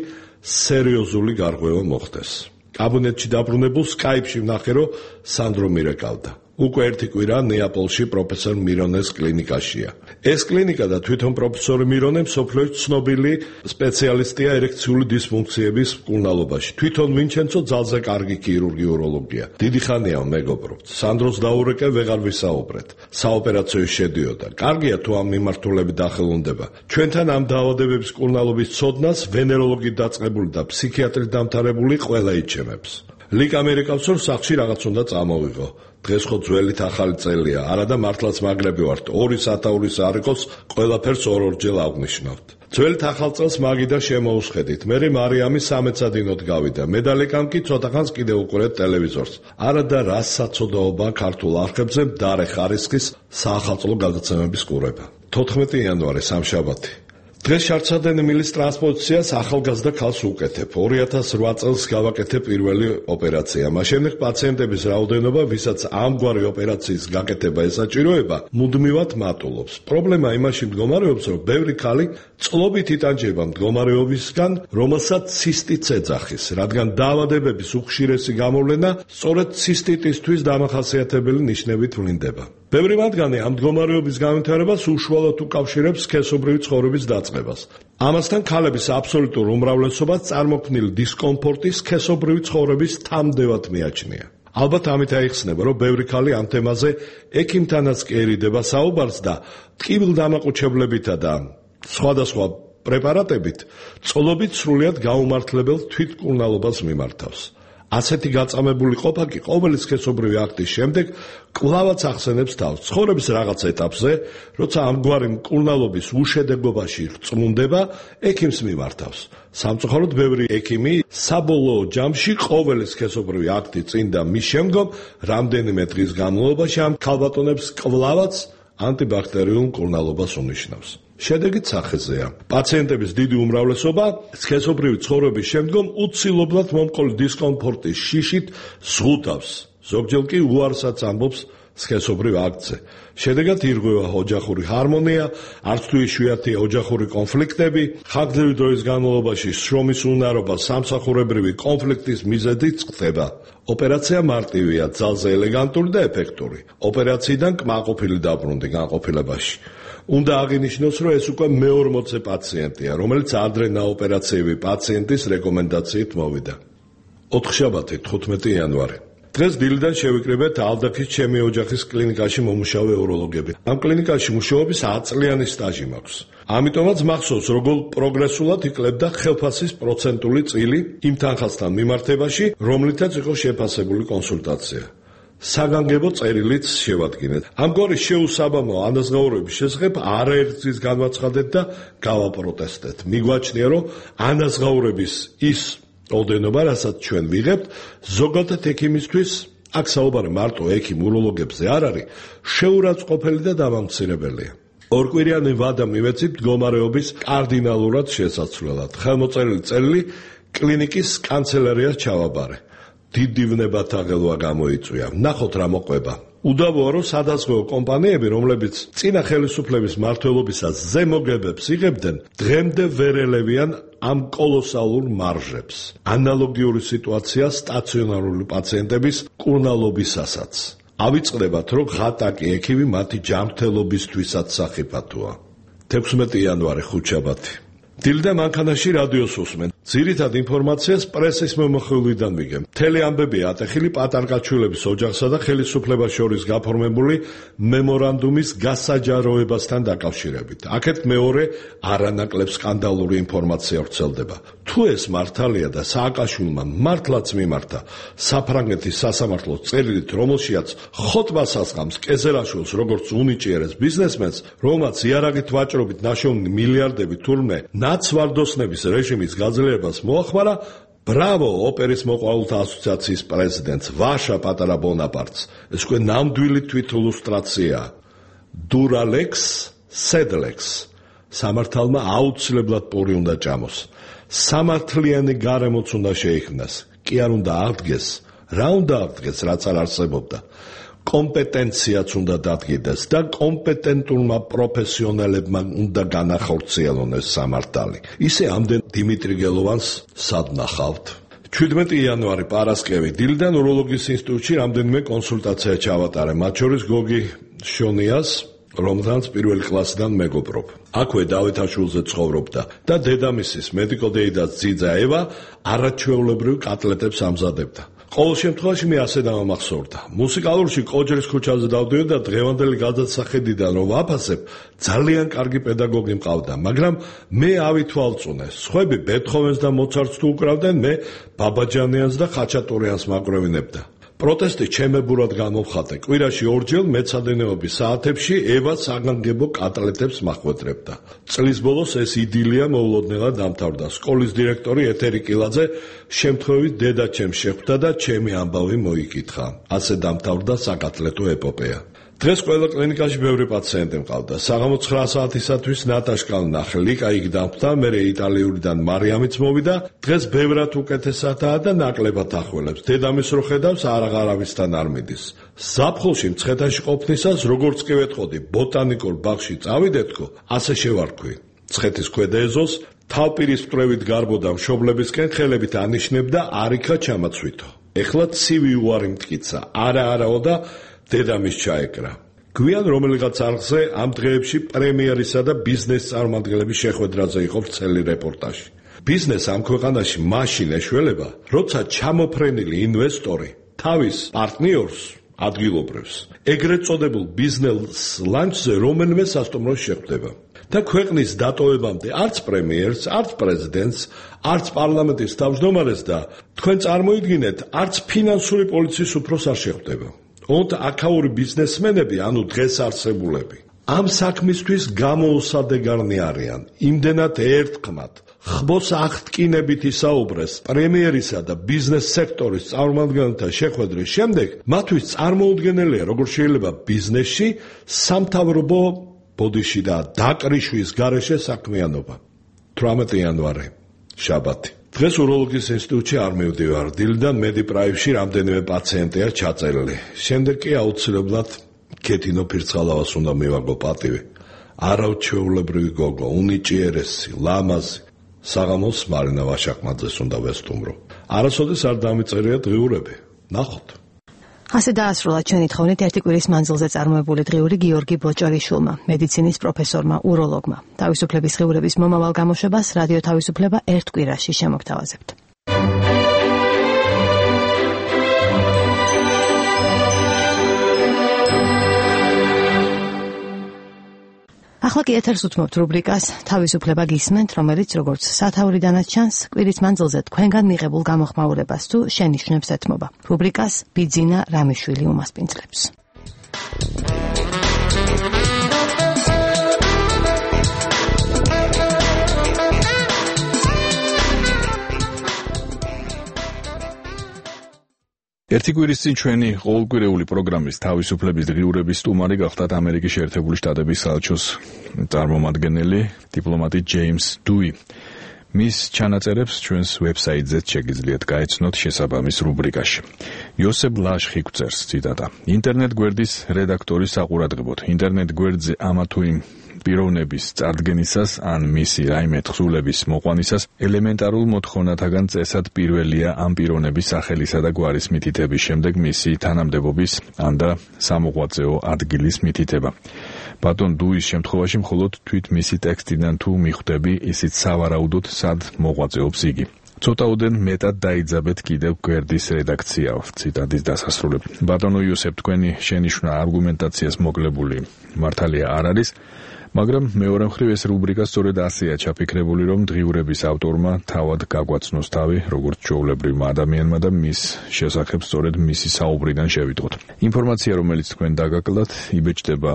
სერიოზული გარღვევა მოხდეს. კაბინეტში დაბრუნებულ სკაიპში ვნახე, რომ სანდრო მირეკავდა. უკვე ერთი კვირა ნეაპოლში პროფესორ მირონეს კლინიკაშია. ეს კლინიკა და თვითონ პროფესორი მირონე მსოფლიოში ცნობილი სპეციალისტია ერექციული დისფუნქციების მკურნალობაში. თვითონ ვინჩენცო ძალზე კარგი ქირურგი უროლოგია. დიდი ხანია მეგობრობთ. სანდროს დაურეკე ვეღარ ვისაუბრეთ. საოპერაციო შედიოდა. კარგია თუ ამ მიმართულებით დახელუნდება. ჩვენთან ამ დაავადებების მკურნალობის ცოდნას ვენეროლოგით დაწყებული და ფსიქიატრით დამთავრებული ყველა იჩემებს. ლიკ ამერიკავს რომ სახლში რაღაც უნდა წამოვიღო. დღეს ხო ძველით ახალი წელია, არა და მართლაც მაგრები ვართ. ორი სათაურის არ იყოს, ყველაფერს ორ-ორჯერ აღნიშნავთ. ძველით ახალ წელს მაგიდა შემოუსხედით. მერე მარიამი სამეცადინოდ გავიდა. მე და ლეკამ კი ცოტახანს კიდევ უყურეთ ტელევიზორს. არა და რას საცოდაობა ქართულ არხებზე მდარე ხარისხის საახალწლო გადაცემების ყურება. თოთხმეტი იანვარი სამშაბათი. დღეს შარცადენი მილის ტრანსპოზიციას ახალგაზრდა ქალს უკეთებ. ორი ათას ოთხ წელს გავაკეთე პირველი ოპერაცია. მას შემდეგ პაციენტების რაოდენობა, ვისაც ამგვარი ოპერაციის გაკეთება ესაჭიროება, მუდმივად მატულობს. პრობლემა იმაში მდგომარეობს, რომ ბევრი ქალი წლობით იტანჯება მდგომარეობისგან, რომელსაც ცისტიტს ეძახის, რადგან დაავადებების უხშირესი გამოვლენა სწორედ ცისტიტისთვის დამახასიათებელი ნიშნებით ვლინდება. ბევრი მათგანი ამ მდგომარეობის განვითარებას უშუალოდ უკავშირებს სქესობრივი ცხოვრების დაწყებას. ამასთან ქალების აბსოლუტურ უმრავლესობას წარმოქმნილი დისკომფორტი სქესობრივი ცხოვრების თამდევად მიაჩნია. ალბათ ამით აიხსნება, რომ ბევრი ქალი ამ თემაზე ექიმთანაც კი ერიდება საუბარს და ტკივილდამაყუჩებლებითა და სხვადასხვა პრეპარატებით წლობით სრულიად გაუმართლებელ თვითმკურნალობას მიმართავს. ასეთი გაწამებული ყოფა კი ყოველი სქესობრივი აქტის შემდეგ კვლავაც ახსენებს თავს ცხოვრების რაღაც ეტაპზე, როცა ამგვარი მკურნალობის უშედეგობაში რწმუნდება, ექიმს მიმართავს. სამწუხაროდ ბევრი ექიმი საბოლოო ჯამში ყოველი სქესობრივი აქტი წინ და მის შემდგომ რამდენიმე დღის განმავლობაში ამ ქალბატონებს კვლავაც ანტიბაქტერიულ მკურნალობას უნიშნავს. შედეგიც სახეზეა. პაციენტების დიდი უმრავლესობა სქესობრივი ცხოვრების შემდგომ უცილებლად მომყოლ დისკომფორტის შიშით ზღუდავს. ზოგჯერ კი უარსაც ამბობს სქესობრივ აქტზე. შედეგად ირღვევა ოჯახური ჰარმონია, არც თუ იშვიათია ოჯახური კონფლიქტები, ხანგრძლივი დროის განმავლობაში შრომის უნარობა სამსახურებრივი კონფლიქტის მიზეზით ხდება. ოპერაცია მარტივია, ძალზე ელეგანტური და ეფექტური. ოპერაციიდან კმაყოფილი დაბრუნდი განყოფილებაში. უნდა აღინიშნოს, რომ ეს უკვე მეორმოცე პაციენტია, რომელიც ადრე ნაოპერაციები პაციენტის რეკომენდაციით მოვიდა. ოთხშაბათი თხუთმეტი იანვარი. დღეს დილიდან შევიკრიბეთ ალდაქის ჩემი ოჯახის კლინიკაში მომუშავე უროლოგები. ამ კლინიკაში მუშაობის ათი წლიანი სტაჟი მაქვს. ამიტომაც მახსოვს, როგორ პროგრესულად იკლებდა ხელფასის პროცენტული წილი იმ თანხასთან მიმართებაში, რომლითაც იყო შეფასებული კონსულტაცია. საგანგებო წერილიც შევადგინეთ. ამგვარი შეუსაბამო ანაზღაურების შესახებ არაერთის განვაცხადეთ და გავაპროტესტეთ. მიგვაჩნია, რომ ანაზღაურების ის ოდენობა, რასაც ჩვენ ვიღებთ, ზოგადად ექიმისთვის, აქ საუბარი მარტო ექიმ უროლოგებზე არ არის, შეურაცხყოფელი და დამამცირებელია. ორკვირიანი ვადა მივეცით მდგომარეობის კარდინალურად შესაცვლელად. ხელმოწერილი წერილი კლინიკის კანცელერიას ჩავაბარე. დიდი ვნებათა ღელვა გამოიწვია. ნახოთ რა მოყვება. უდავოა, რომ სადაზღვევო კომპანიები, რომლებიც წინა ხელისუფლების მმართველობისას ზემოგებებს იღებდნენ, დღემდე ვერ ელევიან ამ კოლოსალურ მარჟებს. ანალოგიური სიტუაცია სტაციონარული პაციენტების მკურნალობისასაც. ავიწყდებათ, რომ ღატაკი ექიმი მათი ჯანმრთელობისთვისაც სახიფათოა. თექვსმეტი იანვარი ხუთშაბათი. დილდა მანქანაში რადიოს უსმენ. ძირითად ინფორმაციას პრესის მომხმარებლიდან ვიგებ. მთელი ამბები ატეხილი პატარკაჩვილების ოჯახსა და ხელისუფლებას შორის გაფორმებული მემორანდუმის გასაჯაროებასთან დაკავშირებით. აქეთ მეორე არანაკლებ სკანდალური ინფორმაცია ვრცელდება. თუ ეს მართალია და სააკაშვილმა მართლაც მიმართა საფრანგეთის სასამართლოს წერილით, რომელშიაც ხოტბას ასყამს კეზერაშვილს როგორც უნიჭიერეს ბიზნესმენს, რომელმაც იარაღით ვაჭრობით ნაშოვნი მილიარდები თურმე ნაცვარდოსნების რეჟიმის გაძლიერებას მოახმარა, ბრავო ოპერის მოყვარულთა ასოციაციის პრეზიდენტს ვაშა პატარა ბონაპარტს. ეს უკვე ნამდვილი თვითილუსტრაციაა. დურალექს, სედლექს. სამართალმა აუცილებლად პური უნდა ჭამოს. სამართლიანი გარემოც უნდა შეიქმნას. კი არ უნდა აღდგეს, რა უნდა აღდგეს, რაც არ არსებობდა. კომპეტენციაც უნდა დადგინდეს და კომპეტენტურმა პროფესიონალებმა უნდა განახორციელონ ეს სამართალი. ისე ამდენ დიმიტრი გელოვანს სად ნახავთ? ჩვიდმეტი იანვარი პარასკევი. დილიდან უროლოგიის ინსტიტუტში რამდენიმე კონსულტაცია ჩავატარე, მათ შორის გოგი შონიას, რომლთან პირველი კლასიდან მეგობრობ. აქვე დავითაშვილზე ცხოვრობდა და დედამისის მედიკოდეიდას ძიძა ევა არაჩვეულებრივ კატლეტებს ამზადებდა. ყოველ შემთხვევაში მე ასე დამამახსოვრდა. მუსიკალურში კოჯრის ქუჩაზე დავდივარ და დღევანდელი გადასახედიდან რომ ვაფასებ, ძალიან კარგი პედაგოგი მყავდა, მაგრამ მე ავითვალწუნე. სხვები ბეთჰოვენს და მოცარტს თუ უკრავდნენ, მე ბაბაჯანიანს და ხაჩატურიანს მაკვრევინებდა. პროტესტი ჩემებურად გამოვხატე. კვირაში ორჯერ მეცადინეობის საათებში ევა საგანგებო კატლეტებს მახვედრებდა. წლის ბოლოს ეს იდილია მოულოდნელად დამთავრდა. სკოლის დირექტორი ეთერი კილაძე შემთხვევით დედა ჩემს შეხვდა და ჩემი ამბავი მოიკითხა. ასე დამთავრდა საკატლეტო ეპოპეა. დღეს ყველა კლინიკაში ბევრი პაციენტი მყავდა. საღამო ცხრა საათისათვის ნატაშკა ვნახე, ლიკა იქ დამხვდა, მერე იტალიურიდან მარიამიც მოვიდა. დღეს ბევრად უკეთესადაა და ნაკლებად ახველებს. დედამის რო ხედავს, არაღარავისთან არ მიდის. ზაფხულში მცხეთაში ყოფნისას, როგორც კი ვეტყოდი, ბოტანიკურ ბაღში წავიდეთქო, ასე შევარქვი. მცხეთის ქვედა ეზოს თავპირის მკვლევით გარბოდა მშობლებისკენ, ხელებით ანიშნებდა, არიქა ჩამაცვითო. ეხლა ცივი უარი მტკიცა, არა არაო და დედამის ჩაეკრა. გვიან რომელიღაც არხზე ამ დღეებში პრემიერისა და ბიზნეს წარმომადგენლების შეხვედრაზე იყო ვრცელი რეპორტაჟი. ბიზნეს ამ ქვეყანაში მაშინ ეშველება, როცა ჩამოფრენილი ინვესტორი თავის პარტნიორს ადგილობრივს ეგრეთ წოდებულ ბიზნეს ლანჩზე რომელიმე სასტუმროში შეხვდება. და ქვეყნის დატოვებამდე არც პრემიერს, არც პრეზიდენტს, არც პარლამენტის თავმჯდომარეს და თქვენ წარმოიდგინეთ, არც ფინანსური პოლიციის უფროს არ შეხვდება. ონთ აქაური ბიზნესმენები, ანუ დღეს არსებულები, ამ საქმისთვის გამოუსადეგარნი არიან. იმდენად ერთხმად ხბოს აღტკინებით ისაუბრეს პრემიერისა და ბიზნეს სექტორის წარმომადგენელთა შეხვედრის შემდეგ, მათთვის წარმოუდგენელია, როგორ შეიძლება ბიზნესში სამთავრობო ბოდიში და დაკრიშვის გარეშე საქმიანობა. თვრამეტი იანვარი, შაბათი. დღეს უროლოგიის ინსტიტუტში არ მივდივარ, დილიდან მედიპრაივში რამდენიმე პაციენტია ჩაწერილი. შემდეგ კი აუცილებლად ქეთინო ფირცხალავას უნდა მივაგო პატივი. არაჩვეულებრივი გოგო, უნიჭიერესი, ლამაზი. საღამოს მარინა ვაშაკმაძეს უნდა ვესტუმრო. არასოდეს არ დამიწერია დღიურები. ნახოთ. ასე დაასრულა ჩვენი თხოვნით ერთი კვირის მანძილზე წარმოებული დღიური გიორგი ბოჭორიშვილმა, მედიცინის პროფესორმა, უროლოგმა. თავისუფლების დღიურების მომავალ გამოშვებას რადიო თავისუფლება ერთ კვირაში შემოგთავაზებთ. ახლა კი ეთერს უთმობთ რუბრიკას თავისუფლება გისმენთ, რომელიც როგორც სათაურიდანაც ჩანს, კვირის მანძილზე თქვენგან მიღებულ გამოხმაურებას თუ შენიშვნებს ეთმობა. რუბრიკას ბიძინა რამიშვილი უმასპინძლებს. ერთი კვირის წინ ჩვენი ყოველკვირეული პროგრამის თავისუფლების დღიურების სტუმარი გახდათ ამერიკის შეერთებული შტატების საელჩოს წარმომადგენელი დიპლომატი ჯეიმს დუი. მის ჩანაწერებს ჩვენს ვებსაიტზეც შეგიძლიათ გაეცნოთ შესაბამის რუბრიკაში. იოსებ ლაშხი გვწერს, ციტატა: ინტერნეტ გვერდის რედაქტორის საყურადღებოდ, ინტერნეტ გვერდზე ამა თუ იმ პიროვნების წარდგენისას ან მისი რაიმე თხზულების მოყვანისას ელემენტარულ მოთხოვნათაგან წესად პირველია ამ პიროვნების სახელისა და გვარის მითითების შემდეგ მისი თანამდებობის ან და სამოღვაწეო ადგილის მითითება. ბატონ დუის შემთხვევაში მხოლოდ თვით მისი ტექსტიდან თუ მიხვდები, ისიც სავარაუდოდ სად მოღვაწეობს იგი. ცოტაოდენ მეტად დაიძაბეთ კიდევ გვერდის რედაქცია. ციტატის დასასრულებ. ბატონო იოსებ, თქვენი შენიშვნა არგუმენტაციას მოკლებული მართალია არ არის, მაგრამ მეორე მხრივ ეს რუბრიკა სწორედ ასეა ჩაფიქრებული, რომ დღიურების ავტორმა თავად გაგვაცნოს თავი, როგორც ჩვეულებრივმა ადამიანმა და მის შესახებ სწორედ მისი საუბრიდან შევიტყოთ. ინფორმაცია, რომელიც თქვენ დაგაკლდათ, იბეჭდება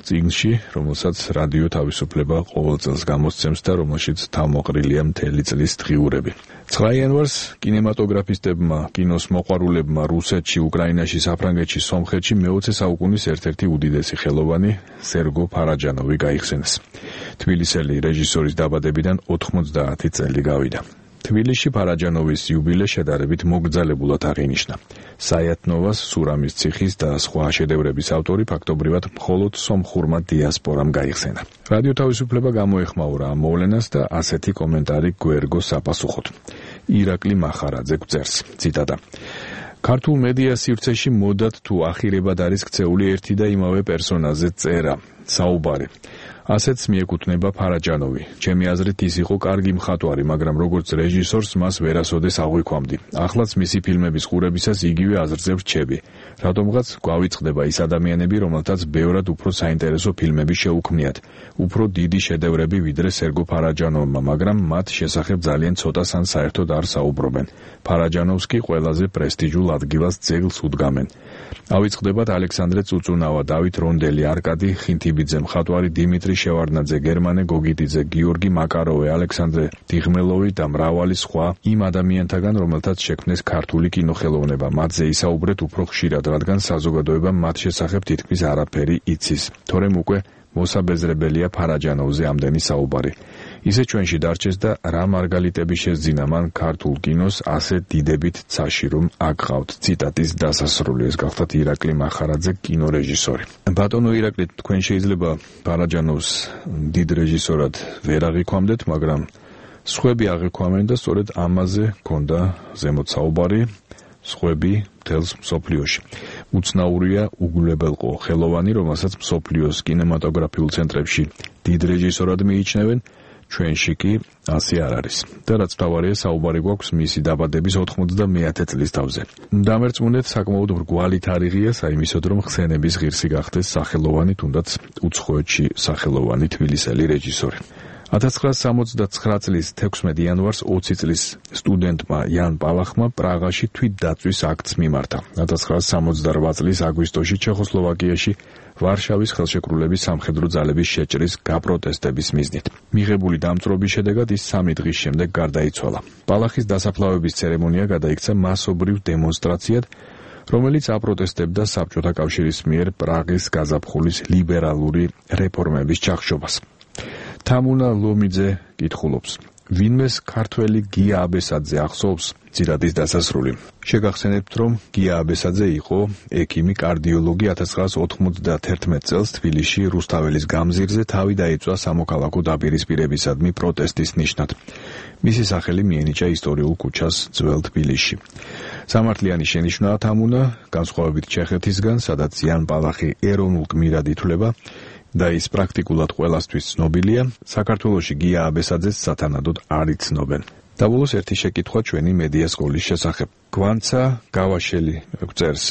წიგნში, რომელსაც რადიო თავისუფლება ყოველ წელს გამოსცემს და რომელშიც თავმოყრილია მთელი წლის დღიურები. ცხრა იანვარს კინემატოგრაფისტებმა, კინოს მოყვარულებმა რუსეთში, უკრაინაში, საფრანგეთში, სომხეთში მეოცე საუკუნის ერთ-ერთი უდიდესი ხელოვანი სერგო ფარაჯანოვი გაიხსენეს. თბილისელი რეჟისორის დაბადებიდან ოთხმოცდაათი წელი გავიდა. თბილისში ფარაჯანოვის იუბილე შედარებით მოგრძალებულად აღინიშნა. საიათნოვას, სურამის ციხის და სხვა შედევრების ავტორი ფაქტობრივად მხოლოდ სომხურმა დიასპორამ გაიხსენა. რადიო თავისუფლება გამოეხმაურა ამ მოვლენას და ასეთი კომენტარი გვერგო საპასუხოდ. ირაკლი მახარაძე გვწერს, ციტატა: ქართულ მედია სივრცეში მოდად თუ ახირებად არის ქცეული ერთი და იმავე პერსონაჟზე წერა, საუბარი. ასეც მიეკუთვნება ფარაჯანოვი. ჩემი აზრით ის იყო კარგი მხატვარი, მაგრამ როგორც რეჟისორს მას ვერასოდეს აღვიქვამდი. ახლაც მისი ფილმების ყურებისას იგივე აზრზე ვრჩები. რატომღაც გვავიწყდება ის ადამიანები, რომელთაც ბევრად უფრო საინტერესო ფილმები შეუქმნიათ, უფრო დიდი შედევრები ვიდრე სერგო ფარაჯანოვმა, მაგრამ მათ შესახებ ძალიან ცოტას ან საერთოდ არ საუბრობენ. ფარაჯანოვს კი ყველაზე პრესტიჟულ ადგილას ძეგლს უდგამენ. ავიწყდებათ ალექსანდრე წუწუნავა, დავით რონდელი, არკადი ხინთიბიძე, მხატვარი დიმიტრი შევარდნაძე, გერმანე გოგიდიძე, გიორგი მაკაროვე, ალექსანდრე დიღმელოვი და მრავალი სხვა იმ ადამიანთაგან, რომელთაც შექმნეს ქართული კინოხელოვნება. მათზე ისაუბრეთ უფრო ხშირად, რადგან საზოგადოება მათ შესახებ თითქმის არაფერი იცის. თორემ უკვე მოსაბეზრებელია ფარაჯანოვზე ამდენი საუბარი. ისე ჩვენში დარჩეს და რა მარგალიტები შეძინა მან ქართულ კინოს ასე დიდებით ცაში, რომ აკყავთ. ციტატის დასასრული. ეს გახლდათ ირაკლი მახარაძე, კინორეჟისორი. ბატონო ირაკლი, თქვენ შეიძლება ფარაჯანოვს დიდ რეჟისორად ვერ აღიქვამდეთ, მაგრამ სხვები აღიქვამენ და სწორედ ამაზე ქონდა ზემოთ საუბარი. სხვები მთელს მსოფლიოში. უცნაურია უგულებელყო ხელოვანი, რომელსაც მსოფლიოს კინემატოგრაფიულ ცენტრებში დიდ რეჟისორად მიიჩნევენ, ჩვენში კი ასე არ არის. და რაც მთავარია, საუბარი გვაქვს მისი დაბადების ოთხმოცდამეათე წლის თავზე. დამერწმუნეთ, საკმაოდ მრგვალი თარიღია საიმისოდ, რომ ხსენების ღირსი გახდეს სახელოვანი, თუნდაც უცხოეთში სახელოვანი თბილისელი რეჟისორი. ათას ცხრაასი სამოცდათსაცხრა წლის თექვსმეტი იანვარს ოცი წლის სტუდენტმა იან პალახმა პრაღაში თვითდაწვის აქტს მიმართა. ათას ცხრაასი სამოცდარვა წლის აგვისტოში ჩეხოსლოვაკიაში ვარშავის ხელშეკრულების სამხედრო ძალების შეჭრის გაპროტესტების მიზნით. მიღებული დამწვრობის შედეგად ის სამი დღის შემდეგ გარდაიცვალა. პალახის დასაფლავების ცერემონია გადაიქცა მასობრივ დემონსტრაციად, რომელიც აპროტესტებდა საბჭოთა კავშირის მიერ პრაღის გაზაფხულის ლიბერალური რეფორმების ჩახშობას. თამუნა ლომიძე კითხულობს: ვინმეს ქართველი გია აბესაძე ახსოვს? ციტატის დასასრული. შეგახსენებთ, რომ გია აბესაძე იყო ექიმი კარდიოლოგი. ათას ცხრაასი ოთხმოცდაათერთმეტ წელს თბილისში რუსთაველის გამზირზე თავი დაიწვა სამოქალაქო დაპირისპირებისადმი პროტესტის ნიშნად. მისი სახელი მიენიჭა ისტორიულ ქუჩას ძველ თბილისში. სამართლიანი შენიშვნაა თამუნა, განსხვავებით ჩეხეთისგან, სადაც იან პალახი ეროვნულ გმირად ითვლება და ის პრაქტიკულად ყველასთვის ცნობილია, საქართველოში გია აბესაძეს სათანადოდ არ იცნობენ. დაბოლოს ერთი შეკითხვა ჩვენი მედია სკოლის შესახებ. გვანცა გავაშელი წერს,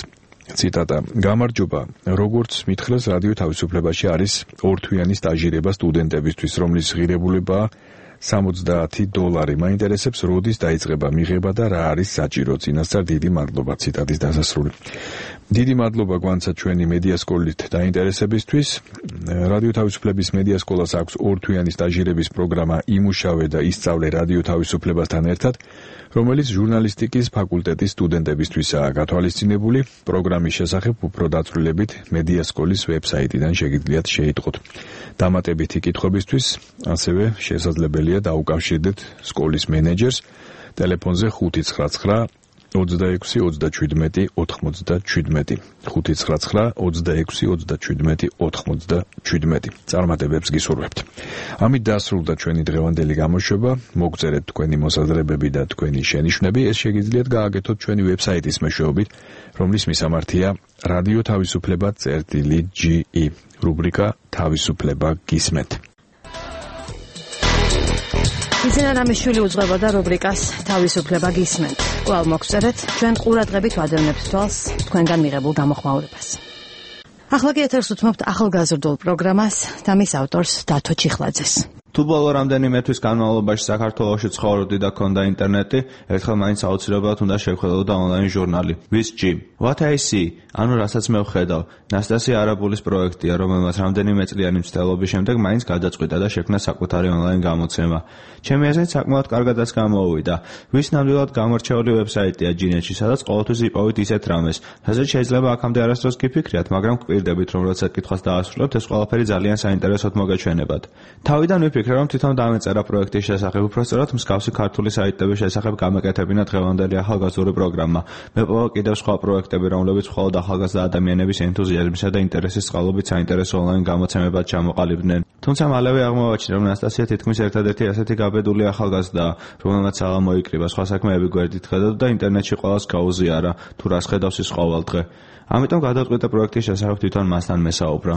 ციტატა: გამარჯობა, როგორც მითხრეს, რადიო თავისუფლებაში არის ორთვიანი სტაჟირება სტუდენტებისთვის, რომლის ღირებულებაა სამოცდაათი დოლარი. მაინტერესებს, როდის დაიწყება მიღება და რა არის საჭირო. წინასწარ დიდი მადლობა. ციტატის დასასრული. დიდი მადლობა გვანცა ჩვენი მედია სკოლით დაინტერესებისთვის. რადიო თავისუფლების მედია სკოლას აქვს ორთვიანი სტაჟირების პროგრამა იმუშავე და ისწავლე რადიო თავისუფლებასთან ერთად, რომელიც ჟურნალისტიკის ფაკულტეტის სტუდენტებისთვისაა გათვალისწინებული. პროგრამის შესახებ უფრო დაწვრილებით მედია სკოლის ვებსაიტიდან შეგიძლიათ შეიტყოთ. დამატებითი კითხვებისთვის ასევე შესაძლებელია დაუკავშირდეთ სკოლის მენეჯერს ტელეფონზე ხუთი ცხრა ცხრა ოცდაექვსი ოცდაჩვიდმეტი ოთხმოცდაჩვიდმეტი ხუთი ცხრა ცხრა ოცდაექვსი ოცდაჩვიდმეტი ოთხმოცდაჩვიდმეტი. წარმატებებს გისურვებთ. ამით დასრულდა ჩვენი დღევანდელი გამოშვება. მოგწერეთ თქვენი მოსაზრებები და თქვენი შენიშვნები. ეს შეგიძლიათ გააკეთოთ ჩვენი ვებსაიტის მეშვეობით, რომლის მისამართია რადიო თავისუფლება წერტილი ჯი ი, რუბრიკა თავისუფლება გისმენთ. იზენა რამიშვილი უძღვებოდა რუბრიკას თავისუფლება გისმენთ. კვლავ მოგწერეთ, ჩვენ ყურადღებით ვადევნებთ თვალს თქვენგან მიღებულ გამოხმაურებას. ახლა კი ეთერს უთმობთ ახალგაზრდულ პროგრამას და მის ავტორს დათო ჩიხლაძეს. თუ ბოლო რამდენიმე თვის განმავლობაში საქართველოში ცხოვრობდი და ქონდა ინტერნეტი, ერთხელ მაინც აუცილებლად უნდა შევხედავდა ონლაინ ჟურნალი. ვის ჯი. What I see, ანუ რასაც მე ვხედავ, ნასტასია არაბულის პროექტია, რომელმაც რამდენიმე წლიანი მცდელობის შემდეგ მაინც გადაწყვიტა და შექმნა საკუთარი ონლაინ გამოცემა. ჩემი აზრით საკმაოდ კარგადაც გამოუვიდა. ვის ნამდვილად გამორჩეული ვებსაიტია ჯინეთში, სადაც ყოველთვის იპოვით ისეთ რამეს, რასაც შეიძლება აქამდე არასდროს გიფიქრიათ, მაგრამ გვპირდებით, რომ როცა კითხვას დაასრულებთ, ეს ყველაფერი ძალიან საინტერესოდ მოგეჩვენებათ. თავიდან ვიფიქრე, რომ თვითონ დამეწერა პროექტის შესახებ, უпроსტად მსგავსი ქართული საიტების შესახებ გამეკეთებინა დღევანდელი ახალგაზრდული პროგრამა. მეპოვა კიდევ სხვა პროექტები, რომლებიც მხოლოდ ახალგაზრდა ადამიანების ენთუზიაზმისა და ინტერესის წყალობით საინტერესო ონლაინ გამოცემებად ჩამოყალიბდნენ. თუმცა მალევე აღმოვაჩინე, რომ ნასტასია თითქმის ერთადერთი ასეთი გაბედული ახალგაზრდაა, რომელმაც აღარ მოიკრიბა სხვა საქმეები გვერდით ხედავდა და ინტერნეტში ყველას გაუზიარა, თუ რას ხედავს ის ყოველდღე. ამიტომ გადავწყვიტე პროექტის შესახებ თვითონ მასთან მესაუბრა.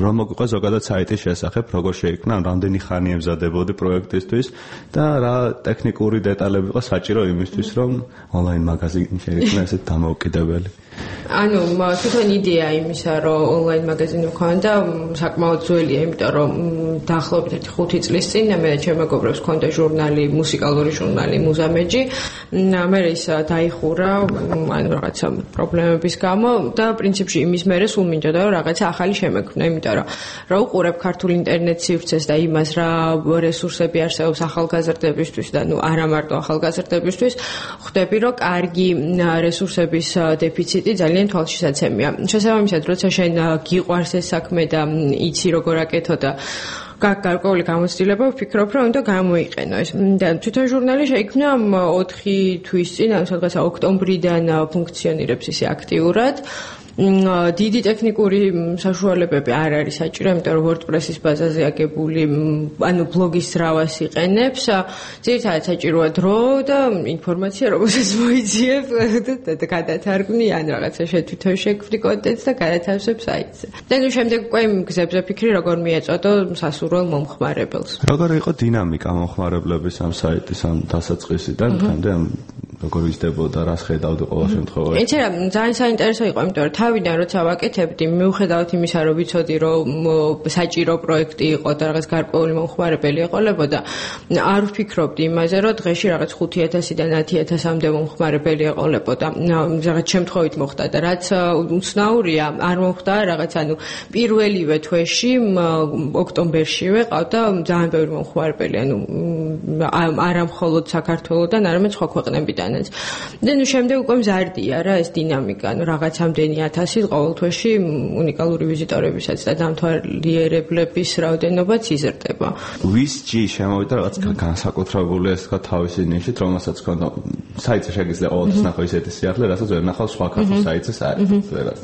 რომ მოგვიყვა ზოგადად საიტის შესახებ, როგორ შეიქმნა, რამდენი ხანი ემზადებოდი პროექტისთვის და რა ტექნიკური დეტალები იყო საჭირო იმისთვის, რომ ონლაინ მაგაზინი შეიქმნა ესეთ დამოუკიდებელი. ანუ თვითონ იდეა იმისა, რომ ონლაინ მაგაზინი მქონდა, საკმაოდ ძველია, იმიტომ რომ დაახლოებით ხუთი წლის წინ მე ჩემ მეგობრებს მქონდა ჟურნალი, მუსიკალური ჟურნალი მუზამეჯი. მე ის დაიხურა ანუ რაღაცა პრობლემების გამო და პრინციპში იმის მერე სულ მინდოდა რომ რაღაცა ახალი შემექმნა, იმიტომ რომ რა უყურებ ქართულ ინტერნეტ სივრცეს და იმას რა რესურსები არსებობს ახალგაზრდებისთვის და ნუ არა მარტო ახალგაზრდებისთვის, ხვდები რომ კარგი რესურსების დეფიციტი ძალიან თვალშისაცემია. შესაბამისად, როცა შენ გიყვარს ეს საქმე და იცი როგორ აკეთო და გარკვეული გამოცდილება ვფიქრობ, რომ უნდა გამოიყენო ეს. და თვითონ ჟურნალი შეიქმნა ოთხი თვის წინ, ანუ სადღაც ოქტომბრიდან ფუნქციონირებს ისე აქტიურად. დიდი ტექნიკური საშუალებები არ არის საჭირო, იმიტომ რომ WordPress-ის ბაზაზე აგებული, ანუ ბლოგის ძრავას იყენებს. ძირითადად საჭიროა დრო და ინფორმაცია, რომელსაც მოიძიებ და გადათარგმნი, ან რაღაცა შეთვითონ შექმნი კონტენტს და გადათავსებ საიტზე. და ნუ შემდეგ უკვე იმ გზებზე ფიქრი, როგორ მიეწოდო სასურველ მომხმარებელს. როგორ იყო დინამიკა მომხმარებლების ამ საიტის ამ დასაწყისიდან დღემდე როგორ იზრდებოდა, რას ხედავდი ყოველ შემთხვევაში? იცი რა, ძალიან საინტერესო იყო, იმიტომ რომ თავიდან როცა ვაკეთებდი, მიუხედავად იმისა, რომ ვიცოდი, რომ საჭირო პროექტი იყო და რაღაც გარკვეული მომხმარებელი ეყოლებოდა, არ ვფიქრობდი იმაზე, რომ დღეში რაღაც ხუთი ათასიდან ათი ათასამდე მომხმარებელი ეყოლებოდა. რაღაც შემთხვევით მოხდა და რაც უცნაურია, არ მოხდა რაღაც, ანუ პირველივე თვეში, ოქტომბერშივე ყავდა ძალიან ბევრი მომხმარებელი, ანუ არა მხოლოდ საქართველოდან, არამედ სხვა ქვეყნებიდან. და ნუ შემდეგ უკვე მზარდია რა ეს დინამიკა, ანუ რაღაცამდენი ათასი ყოველ თვეში უნიკალური ვიზიტორებისაც და დამთვალიერებლების რაოდენობაც იზრდება. ვის ჯი შემოვიდა რაღაც განსაკუთრებული ეს თქვა თავისი ნიშით, რომელსაც ჰქონდა საიტზე შეგიძლია ყოველთვის ნახო ისეთი სიახლე, რასაც ვერ ნახავ სხვა ქართულ საიტზე საერთოდ ვერას.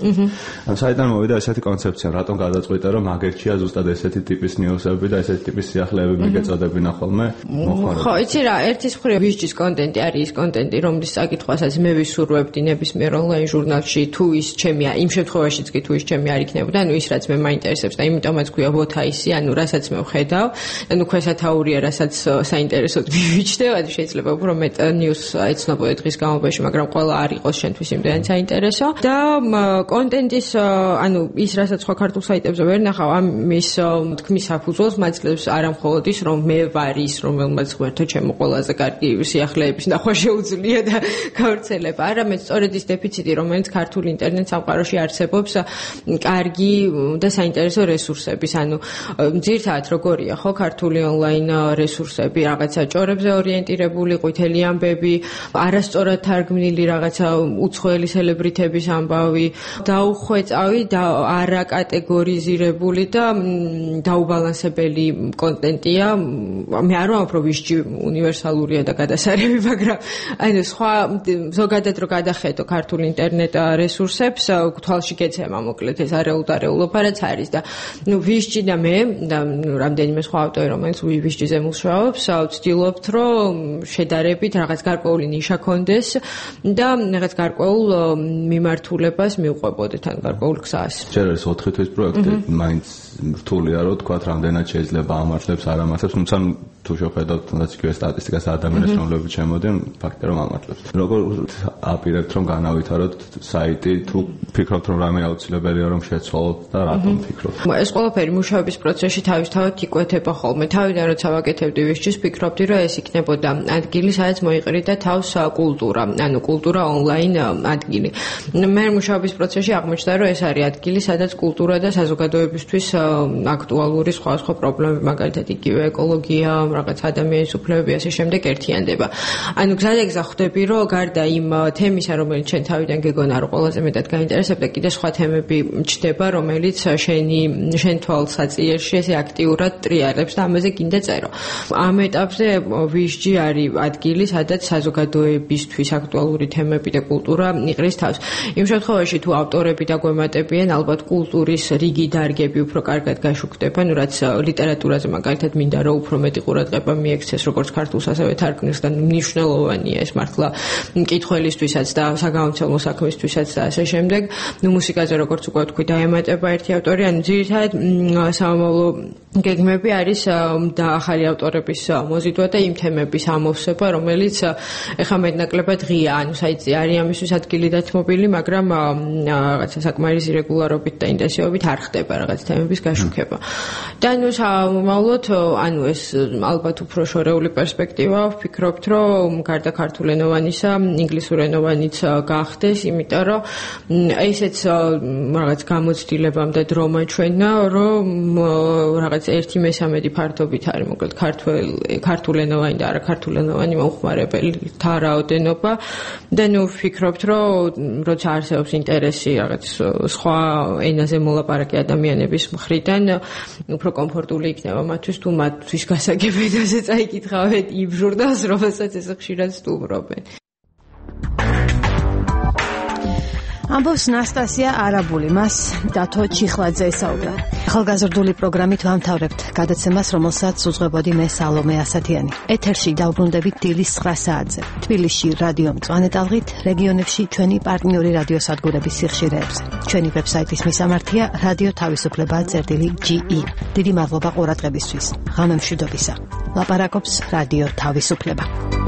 ამ საიტიდან მოვიდა ესეთი კონცეფცია, რატომ გადაწყვიტე რომ მაგერჩია ზუსტად ესეთი ტიპის ნიუსები და ესეთი ტიპის სიახლეები მიგეწოდებინა ხოლმე მოხარება. ხო, იცი რა, ერთის მხრივ ვის ჯის კონტენტი არის ის კონტენტი, რომლის საკითხვასაც მე ვისურვებდი ნებისმიერ ონლაინ ჟურნალში, თუ ის ჩემია, იმ შემთხვევაშიც კი თუ ის ჩემი არ იქნებოდა, ანუ ის რაც მე მაინტერესებს და იმიტომაც ქვია ვოთაისი, ანუ რასაც მე ვხედავ, ანუ ქვესათაურია, რასაც საინტერესოდ მივიჩნევ, შეიძლება უფრო მეტ ნიუს ეცნობოდი დღის განმავლობაში, მაგრამ ყველა არ იყოს შენთვის იმდენად საინტერესო და კონტენტის, ანუ ის რასაც სხვა ქართულ საიტებზე ვერ ნახავ, ამის თქმის საფუძველს მაძლევს არამხოლოდ ის, რომ მე ვარ ის, რომელმაც ღმერთო ჩემო ყველაზე კარგი სიახლეების ნახვა შეუძლია და გავრცელება. არამედ სწორედ ის დეფიციტი, რომელიც ქართულ ინტერნეტ სამყაროში არსებობს, კარგი და საინტერესო რესურსების, ანუ ძირითადად როგორია ხო ქართული ონლაინ რესურსები, რაღაცა ჭორებზე ორიენტირებული, ყვითელი ამბები, არასწორად თარგმნილი რაღაცა უცხოელი სელებრიტების ამბავი, დაუხვეწავი და არა კატეგორიზირებული და დაუბალანსებელი კონტენტია. მე არ ვამბობ, რომ ვისჯი უნივერსალურია და გადასარევი, მაგრამ ანუ სხვა ზოგადად რო გადახედო ქართულ ინტერნეტ რესურსებს, თვალში გეცემა მოკლედ ეს არეულდარეულობა რაც არის და ნუ ვისჯი და მე და ნუ რამდენიმე სხვა ავტორი, რომელიც ვისჯიზე მუშაობს, ვცდილობთ, რომ შედარებით რაღაც გარკვეული ნიშა კონდეს და რაღაც გარკვეულ მიმართულებას მივყვებოდეთ, ან გარკვეულ გზას. ჯერ არის ოთხი თვის პროექტი, მაინც რთულია რომ თქვა რამდენად შეიძლება ამართლებს, არ ამართლებს, თუმცა თუ შევხედავთ თუნდაც იგივე სტატისტიკას ადამიანებს, რომლებიც შემოდიან, ფაქტია რომ ამართლებს. როგორ აპირებთ რომ განავითაროთ საიტი, თუ ფიქრობთ რომ რამე აუცილებელია რომ შეცვალოთ და რატომ ფიქრობთ? ეს ყველაფერი მუშაობის პროცესში თავისთავად იკვეთება ხოლმე. თავიდან როცა ვაკეთებდი ვისჯის, ფიქრობდი რომ ეს იქნებოდა ადგილი, სადაც მოიყრიდა თავს კულტურა, ანუ კულტურა ონლაინ ადგილი. მე მუშაობის პროცესში აღმოჩნდა რომ ეს არის ადგილი, სადაც კულტურა და საზოგადოებისთვის აქტუალური სხვა სხვა პრობლემები, მაგალითად იგივე ეკოლოგია, რაღაც ადამიანის უფლებები, ასე შემდეგ ერთიანდება. ანუ გზადაგზა ხვდები, რომ გარდა იმ თემისა, რომელიც შენ თავიდან გეგონა, რომ ყველაზე მეტად გაინტერესებდა, კიდე სხვა თემები ჩდება, რომელიც შენი შენ თვალსაწიერში ესე აქტიურად ტრიალებს და ამაზე კიდე წერო. ამ ეტაპზე ვისჯი არის ადგილი, სადაც საზოგადოებისთვის აქტუალური თემები და კულტურა იყრის თავს. იმ შემთხვევაში თუ ავტორები დაგვემატებიან, ალბათ კულტურის რიგი დარგები უფრო კარგად გაშუქდება, ну რაც ლიტერატურაზე მაგალითად მინდა რომ უფრო მეტი ყურადღება მიექცეს როგორც ქართულს ასევე თარგმნილს და მნიშვნელოვანია ეს მართლა მკითხველისთვისაც და საგამომცემლო საქმისთვისაც და ასე შემდეგ. ну მუსიკაზე როგორც უკვე თქვი დაემატება ერთი ავტორი, ანუ ძირითადად სამომავლო გეგმები არის და ახალი ავტორების მოზიდვა და იმ თემების ამოვსება, რომელიც ეხლა მეტნაკლებად ღია, ანუ საიტზე არის ამისთვის ადგილი დათმობილი, მაგრამ რაღაცა საკმარისი რეგულარობით და ინტენსივობით არ ხდება რაღაც თემების გაშუქება. და ნუ სამომავლოდ, ანუ ეს ალბათ უფრო შორეული პერსპექტივა ვფიქრობთ, რომ გარდა ქართულენოვანისა, ინგლისურენოვანიც გახდეს, იმიტომ რომ ესეც რაღაც გამოცდილებამდე დრო მაჩვენა, რომ რაღაც ერთი მესამედი ფართობით არის მოკლედ ქართულენოვანი და არა ქართულენოვანი მომხმარებელთა რაოდენობა და ნუ ვფიქრობთ, რომ როცა არსებობს ინტერესი რაღაც სხვა ენაზე მოლაპარაკე ადამიანების მხრიდან უფრო კომფორტული იქნება მათთვის თუ მათთვის გასაგებედაზე წაიკითხავენ იმ ჟურნალს, რომელსაც ეს ხშირად სტუმრობენ. ამბობს ნასტასია არაბული, მას დათო ჩიხლაძე ესაუბრა. ახალგაზრდული პროგრამით ვამთავრებთ გადაცემას, რომელსაც უძღვებოდი მე სალომე ასათიანი. ეთერში დავბრუნდებით დილის ცხრა საათზე. თბილისში რადიო მწვანე ტალღით, რეგიონებში ჩვენი პარტნიორი რადიოსადგურების სიხშირეებზე. ჩვენი ვებსაიტის მისამართია რადიო თავისუფლება წერტილი ჯი ი. დიდი მადლობა ყურადღებისთვის. ღამემშვიდობისა. ლაპარაკობს რადიო თავისუფლება.